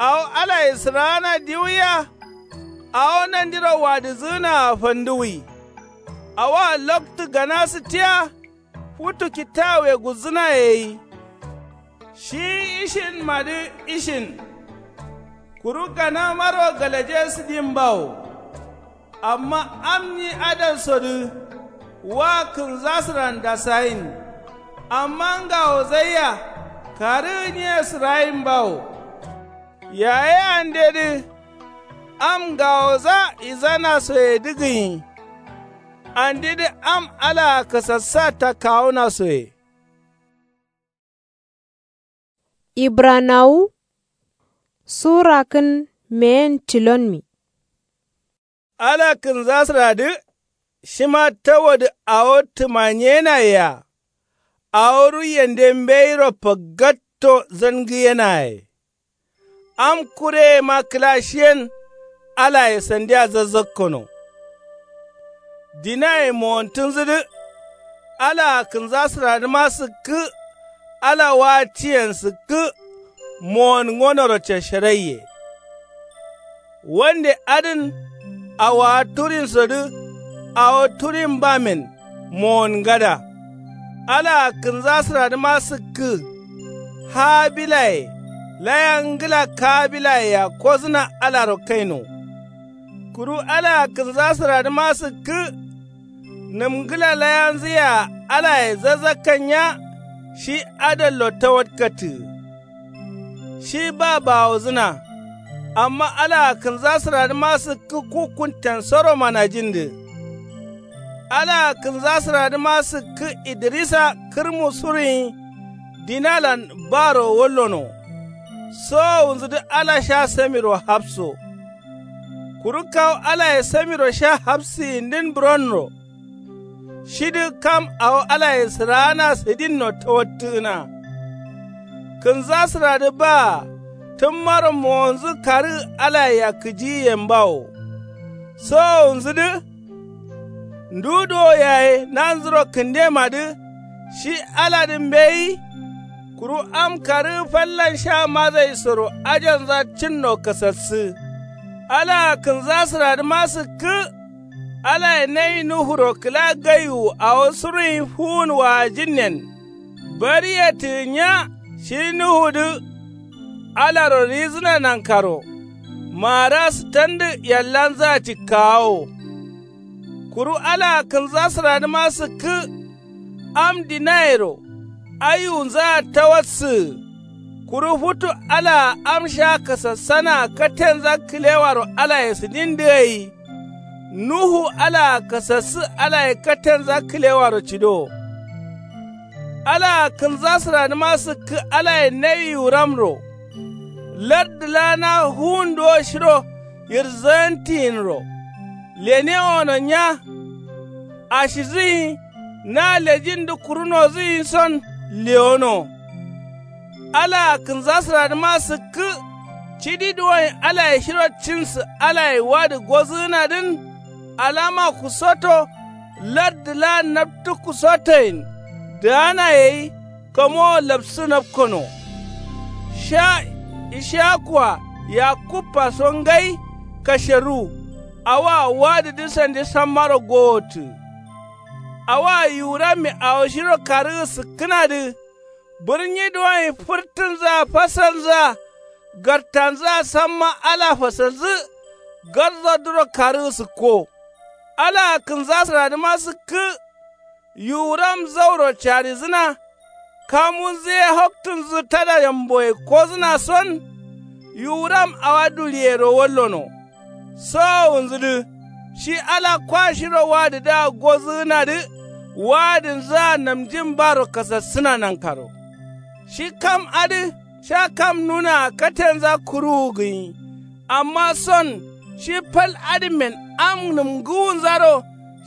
Awo alaye sǝraana diwuya. Awo nandiro wadǝzǝgǝnaa fanduwi. Awoa loktu gana sǝttiya futu kittawuye gulzǝnaye gai. Shi ishinmadǝ ishin kuru ganamaro galaje sǝdin bawo. Amma am nyi adansodǝ wa kǝnzasǝran dasayin. Amma ngawozaiya karǝgǝnye sǝrayin bawo. Yaye andedǝ am ngawoza izanasoyedǝ gǝnyi. Andedǝ am alaa kasassa takkawunasoye. Ibranawu sura kǝn meyen tilonmi. Ala kǝnzasǝradǝ shima tawodǝ awo tǝmanyenaye-a. Awo ruiyende mbeiro faggatto zangǝyenaye. Am kureyema kǝla shiyen alaye sandia zazzakkono. Dinaye mowontǝnzǝdǝ alaa kǝnzasǝradǝma sǝkkǝ. Ala wa tiyen sǝkkǝ. Mowon ngonoro cesheraiye. Wande adǝn awowa turinsodǝ awo turin bamen mowon ngada. Alaa kǝnzasǝradǝma sǝkkǝ. Habilaye laya ngǝla kabilayea kozǝna alaro kaino. Kuru alaa kǝnzasǝradǝma sǝkkǝ. Nǝm ngǝla layanzǝyea alaye zazzakkannya. shi adallo tawatkattǝgǝ. Shi ba bawozǝna. Amma alaa kǝnza sǝradǝma sǝkkǝ ku kunten soro manajindǝ. Alaa kǝnza sǝradǝma sǝkkǝ idrisa kǝrmu suruyin dinalan baro wallono. Sowowunzudǝ ala sha samiro hapso. Kuru kawu alaye samiro sha hapsǝyindǝn buronro. Shidǝ kam awo alaye sǝraana sǝdinno tawattǝgǝna. Kǝnza sǝradǝ baa tǝmmaro mowonzǝ karǝgǝ alaye yakkǝjiyiyen bawo. Sowowunzudǝ ndu duwo yaye nanzuro kǝndemadǝ. Shi aladǝ mbeyi. Kuru am karǝgǝ fallan sha mazai soro ajonza cǝnno kasassǝ. Alaa kǝnza sǝradǝma sǝkkǝ. Alaye nayi nuhuro kǝla gaiwu awo suruyin fuwun waajinnen. Bariyetǝgǝ nya shi nuhudǝ. Alaro rizǝna nankaro. Maara sǝtandǝ yallanzǝa cikkawawo. Kuru alaa kǝnza sǝradǝma sǝkkǝ. Am dinayero ayiwunzǝa tawassǝgǝ. Kuru futu alaa am sha kasassanaa katenza kǝlewaro alaye sǝdindǝ gai. Nuhu alaa kasassǝ alaye katenza kǝlewaro cidowo. Alaa kǝnza sǝradǝma sǝkkǝ alaye nawi yiwuramro. Lardǝ laa na fuwunduwo shiro yirzayantiyin ro. Lenewono nya. Ashizǝyin na lejindǝ kurunozǝyin son lewono. Alaa kǝnza sǝradǝma sǝkkǝ. Cidi duwoyin alaye shiro cinsǝ alaye wadǝ gozǝgǝnadǝn. Alama kusoto. Lardǝ laa naptǝ kusotoyin. Daana gai. Kamowo lapsǝ napkono. Sha ishiyakua yakubba so ngai. Kasheru. Awoa wadǝdǝ sandi sammaro gowottǝ. Awoa yiwuramme awo shiro karǝgǝ sǝkkǝnadǝ. Bǝrnyi duwoyin fǝrtǝnzǝa fasalnzǝa. Gartanzǝa samma ala fasalnzǝ. Garzodǝro karǝgǝ sǝkko. Alaa kǝnza sǝradǝma sǝkkǝ. Yiwuram zauro carizǝna. Kamunzǝ ye hoktǝnzǝ tada yamboye kozǝna son. Yiwuram awa duliyero wallono. Sowowunzudǝ. Shi ala kwa shiro wadǝdǝa gozǝgǝnadǝ. Wadǝnzǝa namjin baro kasassǝna nankaro. Shi kam adǝ sha kam nunaa katenza kuruwu gǝnyi. Amma son shi fal adǝmmen am nǝmgǝwunzaro.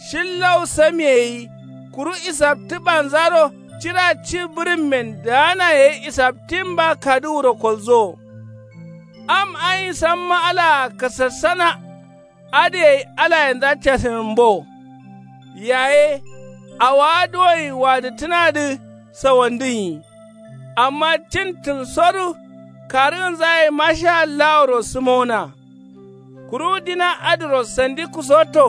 Shillau samiye gai. Kuru isaptǝbanzaro cira ci bǝrǝmmen daanaye isaptin ba kaduwuro kolzowo. Am ayin samma alaa kasassana. Adǝ gai alayenza casinǝmbo. Yaye awowa duwoyin wadǝttǝnadǝ sawandǝnyi. Amma cintǝn sodu karǝgǝnzaye mashallahuro sǝmona. Kuru dina adǝro sandi kusoto.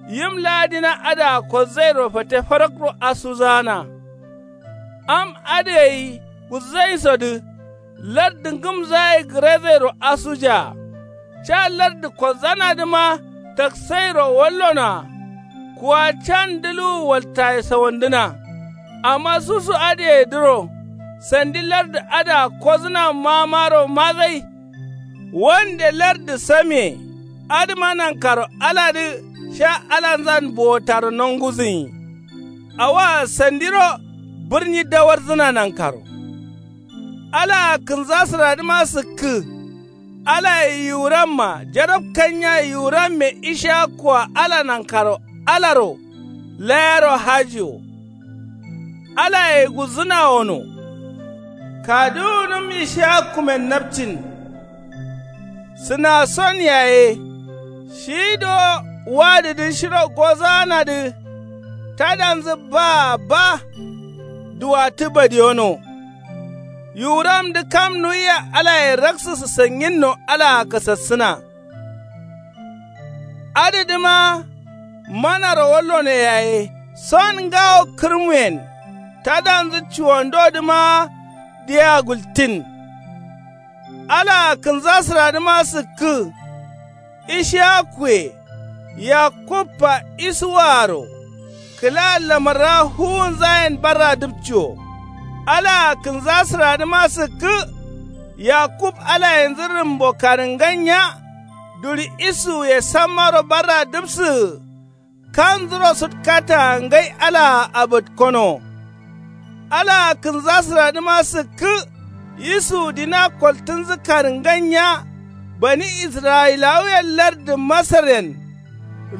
Yim laa dina adǝa kolzairo fate farakro asuzana. Am adǝ gai gulzaisodǝ. Lardǝ ngǝmzaye gǝrezairo asujaa. Ca lardǝ kolzanadǝma taksairo wallonoa. Kuwa can dǝluwu waltaye sawandǝna. Amma susu adǝyedǝro sandi lardǝ adǝa kozǝna mamaro mazai. Wande lardǝ samiye. Adǝma nankaro aladǝ sha alanzan bowotaro nongudǝnyi. Awoa sandiro bǝrnyi dawarjǝna nankaro. Alaa kǝnza sǝradǝma sǝkkǝ. Alaye yiwuramma jarabkanya yiwuramme ishiyakua ala nankaro alaro layero haji wo. Alaye gulzǝna wono. Kaduwunǝm ishiyakumen napcin. Sǝna son yaye shi do wadǝdǝ shiro gozaanadǝ. Tadanzǝ baa ba. Duwattǝ badiyono. Yiwuramdǝ kam nuwiya alaye raksǝsǝ sanginno alaa kasassǝna. Adǝdǝma manaro wallono yaye son ngawo kǝrmuyen. Tadanzǝ cuwandodǝma diya gultin. Alaa kǝnza sǝradǝma sǝkkǝ. Ishiyakuye yakubba isuwaaro. Kǝla lamarra fuwunzayen barra dǝpciwo. Alaa kǝnza sǝradǝma sǝkkǝ. Yakub alayenzǝ rǝmbo karǝngannya. Duri isuwuye sammaro barra dǝpsǝgǝ. Kanzuro sǝtkataa ngai alaa abǝtkono. Alaa kǝnza sǝradǝma sǝkkǝ. Isuwu dina koltǝnzǝ karǝngannya. Bani israyilawuyen lardǝ masaryen.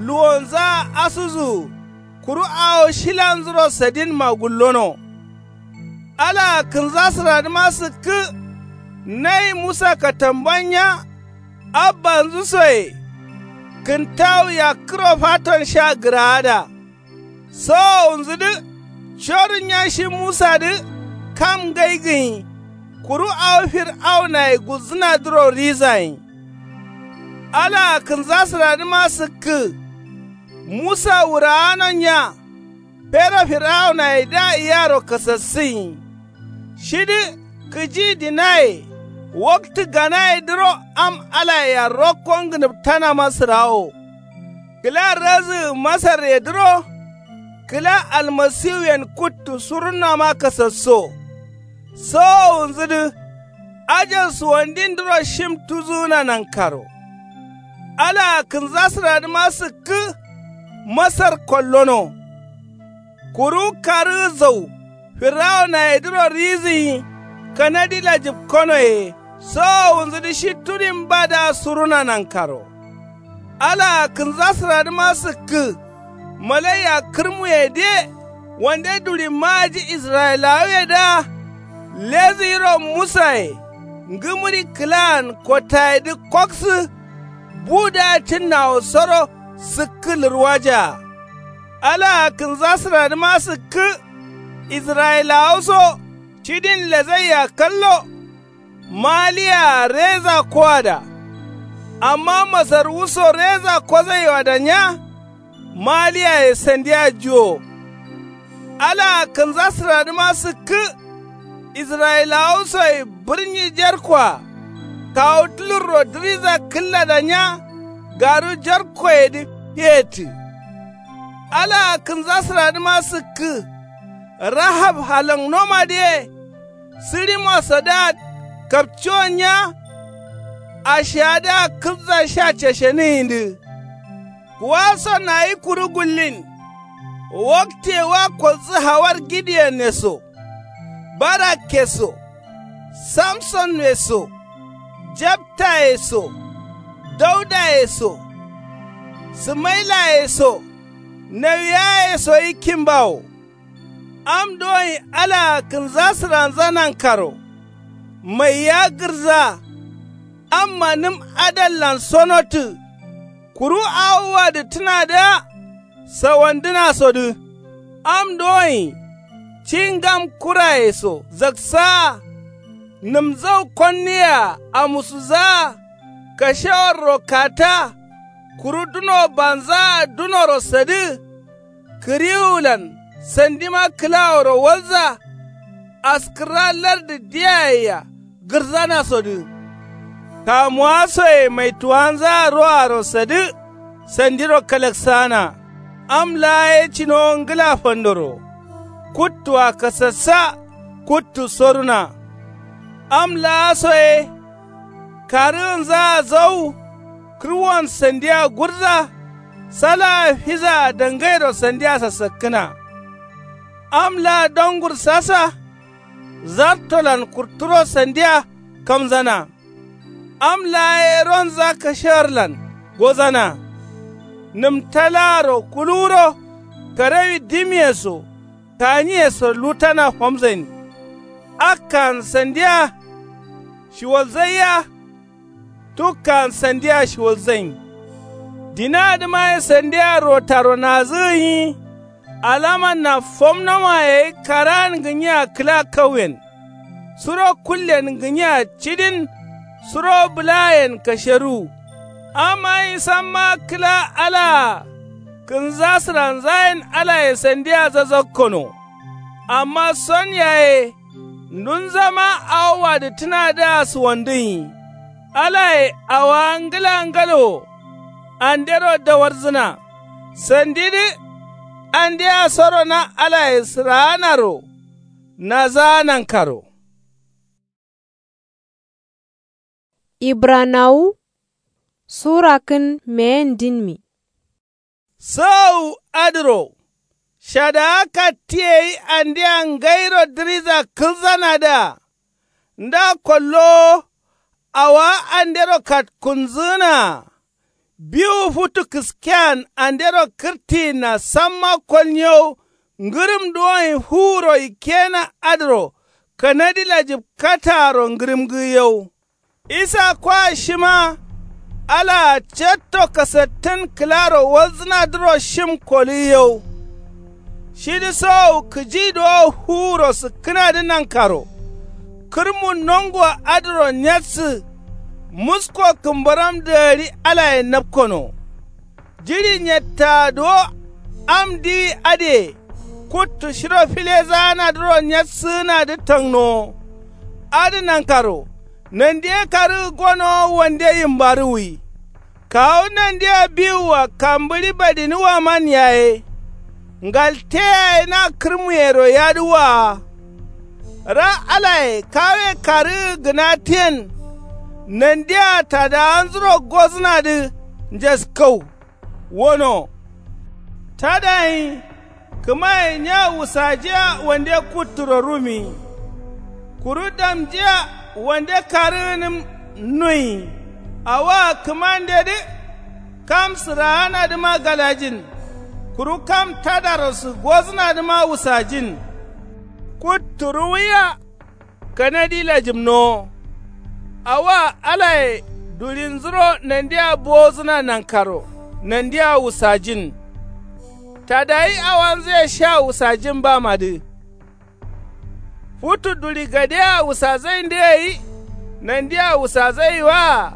Luwonzaa asuzǝgǝ. Kuru awo shilanzuro sadinma gullono. Alaa kǝnza sǝradǝma sǝkkǝ. Nayi musa katambannya. Abbanzǝ soye. Kǝntawu yakkǝro faton sha gǝraada. Sowowunzǝdǝ. Corǝnnya shi musadǝ. Kam ngai gǝnyi. Kuru awo fir'aunaye gulzǝnadǝro rizayin. Alaa kǝnza sǝradǝma sǝkkǝ. Musa wuraano nya. Fero fir'aunayedǝa iyaro kasassǝnyi. Shidǝ kǝji dinaye. Waktǝ ganayedǝro am alayea rokko ngǝnǝptanama sǝrawo. Kǝla razǝgǝ masarredǝro. Kǝla almasiwuyen kuttu surunnama kasasso. Sowowunzǝdǝ. Ajan suwandindǝro shim tuzugǝna nankaro. Alaa kǝnza sǝradǝma sǝkkǝ. Masar kollono. Kuru karǝgǝ zau. Fir'aunayedǝro rizǝnyi. Kanadila jǝpkonoye. Sowowunzǝdǝ shi tudin badǝa suruna nankaro. Alaa kǝnza sǝradǝma sǝkkǝ. Malaiya kǝrmuyedǝye. Wande duri maaji israyilawuyedǝa. Lezǝ yiro musaye. Ngǝmǝri kǝlaan kottayedǝ koksǝ. Budǝa cǝnnawosoro. Sǝkkǝ lǝrwajaa. Alaa kǝnza sǝradǝma sǝkkǝ. Israyilawa so. Cidin lezaiya kallo. Maliyaa reza koada. Amma masarwu so reza kozaiwada nya. Maliyaye sandiya juwo. Alaa kǝnza sǝradǝma sǝkkǝ. Israyilawa soye bǝrnyi jerkoa. Kawu tulurro dǝriza kǝllada nya. Garu jerkoyedǝ feyettǝ. Alaa kǝnza sǝradǝma sǝkkǝ. Rahab halangnomadǝye. Sǝrimosadǝa kapciwon nya. Ashiyadǝa kǝbza sha ceshenǝyindǝ. Kuwason ayi kuru gullin. Waktiye wa kodzǝ hawar gideone so. Barakke so. Samsonwe so. Jabtaye so. Daudaye so. Sǝmailaye so. Nawiyaye so yi kimbawo. Am doyin alaa kǝnza sǝranza nankaro. Maiya gǝrza. Amma nǝm adallan sonottǝ. Kuru awo wadǝttǝnadǝa. Sawandǝnasodǝ. Am doyin. Ci ngam kuraye so zaksaa. Nǝmzau konniyea amusuzaa. Kashewarro kata. Kuru duno banzaa dunoro sadǝ. Kǝriwulan sandima kǝlaworo walza. Askǝrra lardǝ diyayea gǝrzanasodǝ. Kamuwa soye maituwanzaa roaro sadǝ. Sandiro kalaksaana. Am laa ye cinowo ngǝla fandoro. Kuttua kasassa. Kuttu soruna. Am laa so ye. Karǝgǝnzaa zau. Kǝrwon sandiya gurza. Salaa fizaa dangairo sandiya sasakkǝna. Am laa dongur sasa. Zartolan kurturo sandiya kamzana. Am laa ye ronza kashewarlan gozana. Nǝmtalaaro kuluwuro. Karewi dimiye so. Kanyiye so lutana famzain. Akkan sandiya. Shiwalzaiya. Tukkan sandiya shiwalzain. Dinadǝma ye sandiya rotaro nazǝgǝnyi. Alamanna fomnoma yayi karaan gǝnyiya kǝla kauyen. Suro kullen gǝnyiya cidin. Suro bǝlayen kasheruwu. Amma nyi samma kǝla alaa. Kǝnza sǝranzayen alaye sandiya zazakkono. Amma son yaye. Ndunzama awo wadǝttǝnadǝa suwandǝnyi. Alaye awowa ngǝla ngalo wo. Andero dawarzǝna. Sandidǝ. Andea soro na alaye sǝraanaro. Nasaa nankaro. Ibranawu sura kǝn meyen dinmi. Sǝgau adǝro shadaa katti gai andea ngairo dǝriza kǝlzanadǝa nda kollowo awowa andero katkunzǝgǝnaa. Biwu futu kǝskean andero kǝrtiyinna samma kolnyewu ngǝrǝm duwonyi fuwuro ikkeyena adǝro kanadi lajǝb kataaro ngǝrǝmgǝgǝyew. Isa kwa shima alaa catto kasattǝn kǝlaro walzǝnadǝro shim kolǝgǝyew. Shidǝ sogau kǝji duwo fuwuro sǝkkǝnadǝ nankaro kǝrmu nongo adǝro nyatsǝ musko kǝmbaram dagari alaye napkono. Jiɍi nyettaa duwo am diwi adǝye kuttu shiro filezaanadǝro nyatsǝgǝnadǝ tangnowo. Adǝ nankaro nandi ye karǝgǝ gonowo wande yimbarǝwwi. Kawu nandea biwua kambǝɍi badiniwaman yaye ngalteyaye na kǝrmuyero yadǝ waa. Ra alaye kawe karǝgǝ gǝnatǝyen nandia tadawanzuro gozǝnadǝ njaskau. Wono tadayin kǝmaye nya wusajiya wande kutturo rumiyi. Kuru damjiya wande karǝgǝnǝm nuyi. Awoa kǝmandedǝ kam sǝraanadǝma galajin. Kuru kam tadarosu gozǝnadǝma wusajin. Kuttu ruwiya kanadi lajǝmnowo. Awoa alaye duɍinzuro nandia bowozǝna nankaro nandia wusajin. Tadayi awanzǝye sha wusajin bamadǝ. Futu duɍi gadea wusazai ndǝ gai nandia wusazai waa.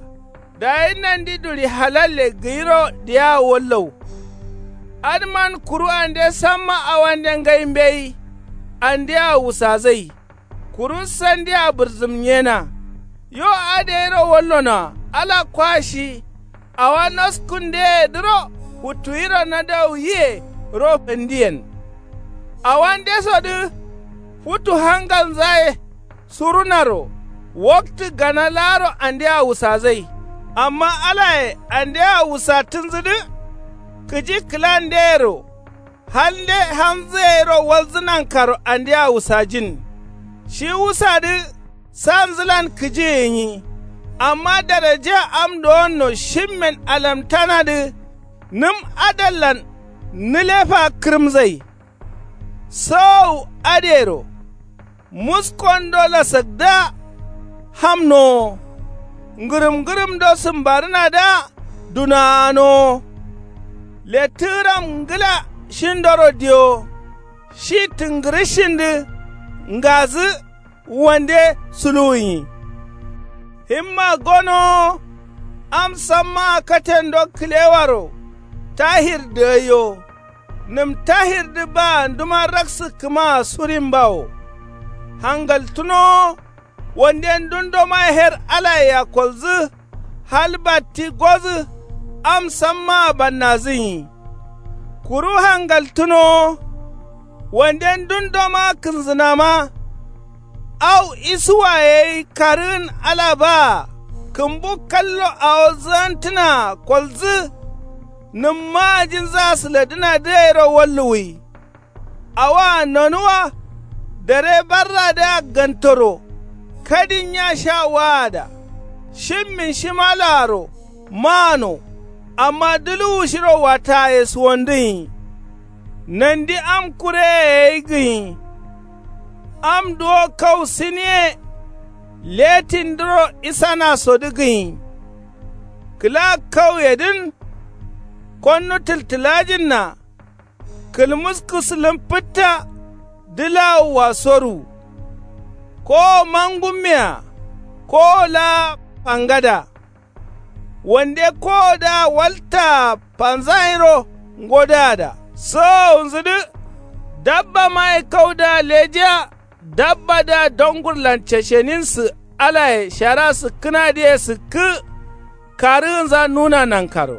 Dayi nandi duɍi halalle gǝyiro diyaa wallau. Adǝman kuru ande samma awande ngai mbeyi. Andea wusazai kuru sandia bǝrzǝmnyena. Yo adǝ gairo wallonoa ala kwa shi. Awa noskundeyedǝro futtuyiro nadauyiye ro fandiyen. Awandesodǝ futu hangalnzaye surunaro waktǝ gana laaro andea wusazai. Amma alaye andea wusattǝnzǝdǝ kǝji kǝlandeyero. Halnde hamzǝ gairo walzǝ nankaro andea wusajin. Shi wusadǝ sanzǝlan kǝji gǝnyi. Amma daraja am dowonno shimmen alamtanadǝ nǝm adallan nǝlefa kǝrǝmzai. Sogau adǝyero muskondola sakdǝa hamnowo. Ngǝrǝm ngǝrǝmdo sǝmbarǝnadǝa dunaganowo. Lettǝgǝram ngǝla shindoro diwo. Shi tǝngǝrǝshindǝ ngazǝ wande suluwunyi. Himma gonowo am sammaa katendo kǝlewaro tahir dagaiyo. Nǝm tahirdǝ baa nduma raksǝkkǝmaa surimbawo. Hangaltǝnowo wande ndundoma her alayea kolzǝ. Hal batti gozǝ am sammaa bannazǝnyi. Kuru hangaltǝnowo wande ndundoma kǝnzǝnama. Au isuwaye gai karǝgǝn ala baa kǝmbu kallo awo zǝgantǝnaa kolzǝ. Nǝm maajinzǝa sǝladǝnadǝ gairo walluwwi. Awoa nonuwa dare barradǝa gantoro. Kadin nya sha waada shimmin shimalaaro maano. Amma duluwu shiro wattaaye suwandǝnyi. Nandi am kureye gai gǝnyi. Am duwo kau siniye letindǝro isanasodǝ gǝnyi. Kǝla kauyedǝn konnu tǝltǝlajinna. Kǝlmuskǝ sǝlǝm fǝtta dǝlawua soru. Kowo mangummea kowo laa fangada. Wande kowodǝa waltaa fanzanyiro ngodǝada sowowunzǝdǝ. Dabbamaye kaudǝa lejiya. Dabbadǝa dongurlan cesheninsǝ alaye shara sǝkkǝnadǝye sǝkkǝ. Karǝgǝnza nuna nankaro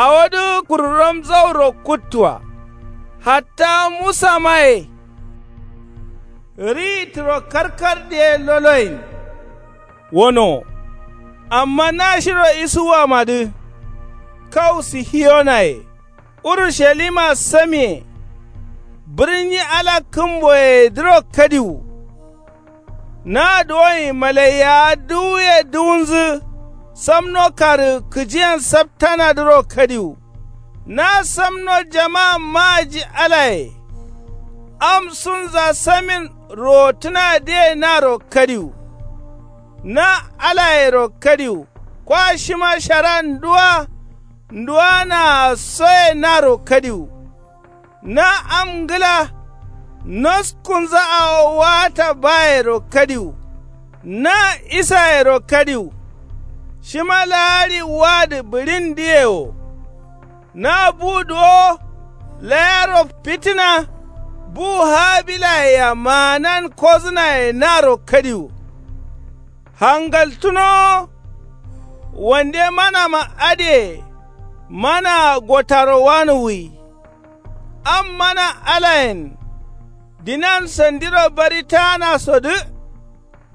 awodǝ kururam zauro kuttua. Hatta musamaye Ri turo karkar diye loloyin. Wono. Amma nashiro isuwamadǝ kau sihiyonaye urushalima samiye. Bǝrnyi ala kǝmboyedǝro kadiwu. Na duwoyin malaiyawa duwuye duwunzǝ. Samno karǝ kǝjiyen saptanadǝro kadiwu. Na samno jama maaji alaye. Am sunza samin rotǝnadǝye naro kadiwu. Na alayero kadiwu kwa shima shara nduwa nduwanaa soye naro kadiwu. Na am ngǝla noskunza awo waata bayero kadiwu. Na isayero kadiwu. Shima laari wadǝ bǝɍindǝye wo. Na bu duwo layaro fitǝna bu habilayea maanan kozǝnaye naro kadiwu. Hangaltǝnowo. Wande manama adǝye manaa gotaro wanuwwi. Am mana alayen dinan sandiro bari taanasodǝ.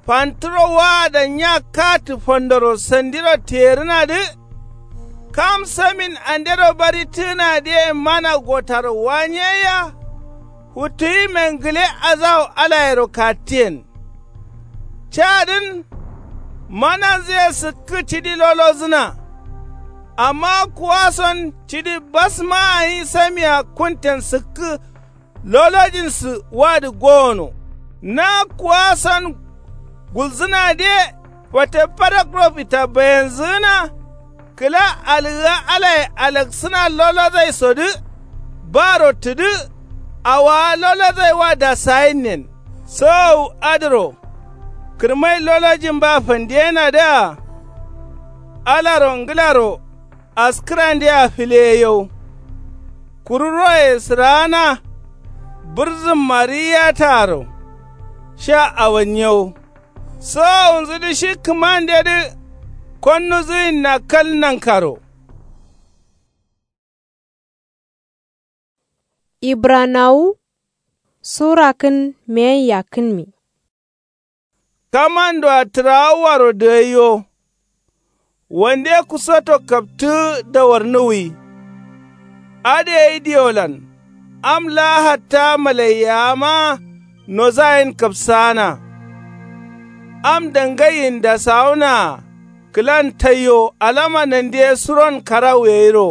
Fantǝro waada nya katǝ fandoro sandiro tiyerǝnadǝ. Kam samin andero bari tǝgǝnadǝye mana gotaro wanyeya. Futuwime ngǝle azawo alayero kattiyen. Cadǝn mananzǝye sǝkkǝ cidi lolozǝna. Amma kuwason cidi basma gǝnyi samia kunten sǝkkǝ lolojinsǝ wadǝ gowono. Na kuwason gulzǝnadǝye fate fadakro fita bayenzǝgǝna. Kǝla algǝga alaye alaksǝna lolozaisodǝ. Baro tǝdǝ awowa lolozai wa dasayinnen. Sowowu adǝro kǝrmai lolojin ba fandiyenadǝa. Alaro ngǝlaro askǝrandea fǝleyeyau. Kuru roye sǝraana bǝrzǝmma riyataaro. Sha awanyiyau. Sowowunzudǝ shi kǝmandedǝ konnuzǝyinna kal nankaro. Ibranawu sura kǝn meyen yakkǝnmi. Kamandoa tǝrawuwaro dǝgaiyo. Wande kusoto kaptǝgǝ dawarnuwwi. Adǝ gai diolan am laa hatta malaiyawa ma nozayen kapsaana. Am dangaiyin dasawunaa kǝlan taiyo alama nandiye suron karawu gairo.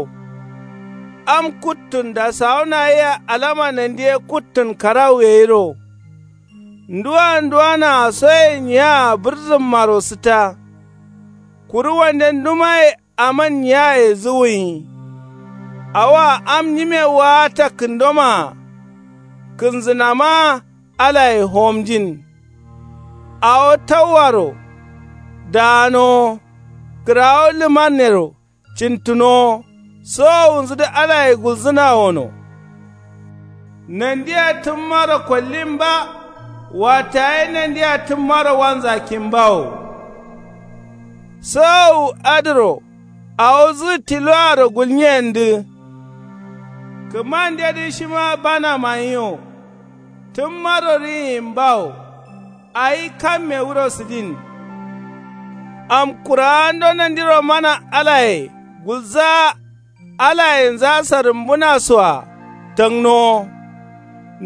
Am kuttun dasawuna yea alama nandiye kuttun karawu gairo. Nduwa nduwanaa soye nyiyaa bǝrzǝmmaro sǝtta. Kuru wande ndumaye aman nyiyaye zuwuyi. Awoa am nyime waata kǝndomaa kǝnzǝnama alaye homjin. Awo tauwaro daanowo kǝrawo lǝmannero cintǝnowo. Sowowunzudǝ alaye gulzǝna wono. Nandia tǝmmaro kollin ba. Wataye nandia tǝmmaro wanzakkin bawo. Sowowu adǝro awo zǝgǝ tiloaro gulnyiyendǝ. Kǝmandedǝ shima bana manyiwo. Tǝmmaro riyin bawo. Awi kamme wuro sǝdin. Am kurawando nandiro mana alaye gulzaa. Alayenza sarǝmbǝnasoa tangnowo.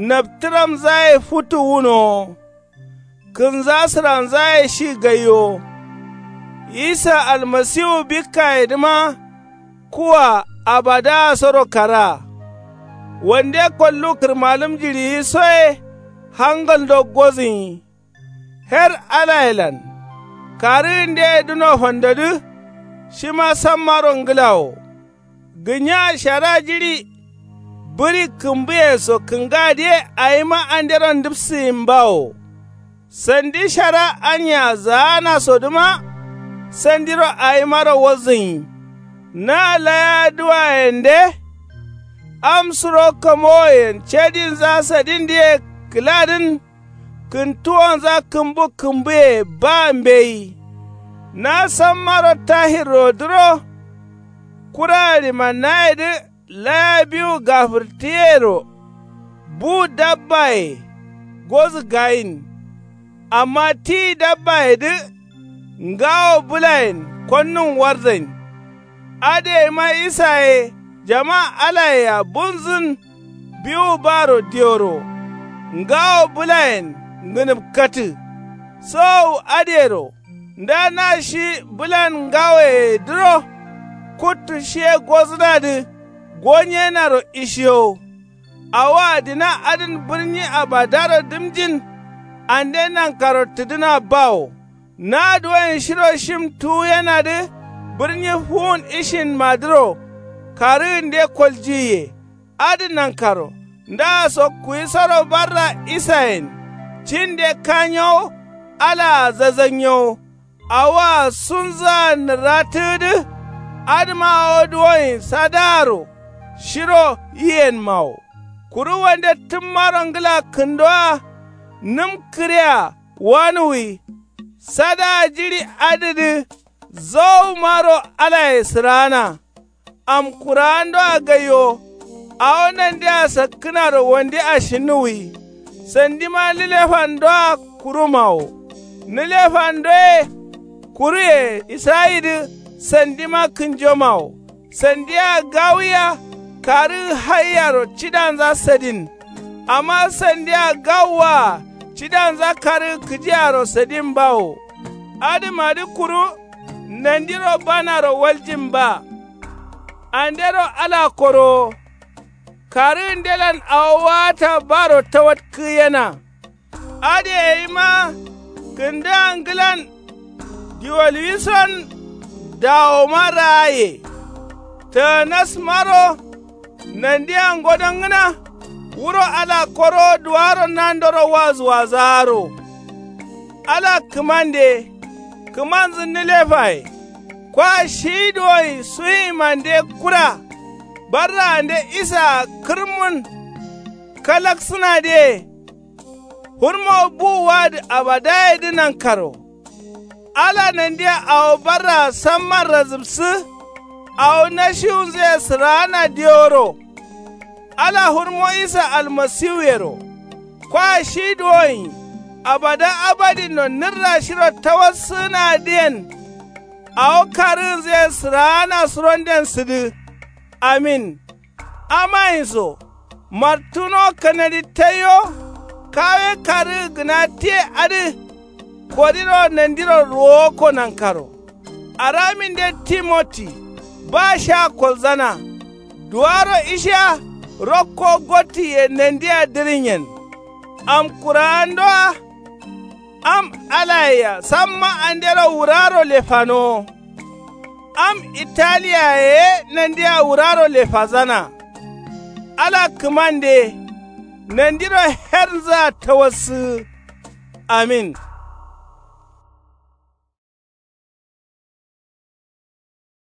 Naptǝramzaye futu wunowo. Kǝnza sǝranzaye shi gaiwo. Isa almasiwu bikkayedǝma kuwa abadaasoro kara. Wande kollu kǝrmalǝm jiɍiyisoye hangaldo gozǝnyi. Her alayelan karǝgǝndeye dǝno fandodǝ. Shima sammaro ngǝlawo. Gǝnya shara jiɍi bǝɍi kǝmbǝye so kǝngadǝye awima andero ndǝpsǝyimbawo. Sandi shara anya zaanasodǝma sandiro awimaro walzǝnyi. Na laya duwayende. Am suro kamowoyen cadinza sadindǝye kǝladǝn. Kǝntuwonza kǝmbu kǝmbuye ba mbeyi. Na sammaro tahirrodǝro. Kura ɍimannayedǝ laya biwu gafǝrtǝyero. Bu dabbaye. gozǝ gayin. Amma ti dabbayedǝ ngawo bǝlayen konnun warzain. Adǝyeima isaye jama alayea bunzǝn biwu baro dioro ngawo bǝlayen ngǝnǝpkatǝ. Sowowu adǝyero nda na shi bǝlan ngawoyedǝro kuttu shiye gozǝnadǝ gonyenaro ishiyowo. Awoa dina adǝn bǝrnyi abadaro dǝmjin. Ande nankaro tǝdǝna bawo. Na duwoyen shiro shim tuwuyenadǝ bǝrnyi fuwun ishinmadǝro karǝgǝnde koljiyiye. Adǝ nankaro ndaaso kuwisoro barra isayen cinde kanyowo. Alaa zazannyowo. Awoa sunzǝa nǝratǝgǝdǝ. Adǝma awo duwoyen sadaaro shiro yiyenmawo. Kuru wande tǝmmaro ngǝla kǝndowa nǝm kǝrea wanuwi. Sadaa jiɍi adǝdǝ zowumaro alaye sǝraana. Am kurawandoa gaiwo. Awo nandea sakkǝnaro wande ashinnuwwi. Sandima nǝlefandoa kurumawo. Nǝlefandoye kuruye isayidǝ sandima kǝnjomawo. Sandia gawuya karǝgǝ haiyaro cidanza sadin. Amma sandia gawuwaa cidanza karǝgǝ kǝjiyaro sadin bawo. Adǝmadǝ kuru nandiro banaro waljin ba. Andero ala korowo. Karǝgǝndelan awo waata baro tawatkǝgǝyena. Adǝ yeima kǝndǝa ngǝlan diwalwison dawoma raaye. Tǝgǝnasmaro nandia ngodongǝna. Wuro ala korowo duwaro nandoro wazǝwazaaro. Ala kǝmande kǝmanzǝ nǝlefaye. Kwa shi duwoyen suyimande kura. Barraande isaa kǝrmun kalaksǝnadǝye. Hurmo buwuwadǝ abadayedǝ nankaro. Ala nandia awo barraa samman razǝbsǝ. Awo nashiwunzǝye sǝraana diworo. Ala hurmo isa almasiwuyero. Kwa shi duwoyen abada abadinno nǝrra shiro tawassǝgǝnadǝyen. Awo karǝgǝnzǝye sǝraana suronden sǝdǝ. Amin. Amayinso martuno kanadi taiyo. Kawe karǝgǝ gǝna tiye adǝ. Kodiro nandiro ruwokko nankaro. Araminde timoti ba sha kolzana. Duwaro ishiya rokko gottiye nandia dǝrǝnyen. Am kurawandoa am alayea samma andero wuraro lefanowo. Am italiyaye ye nandia wuraro lefazana. Ala kǝmande nandiro hernzǝa tawassǝgǝ. Amin.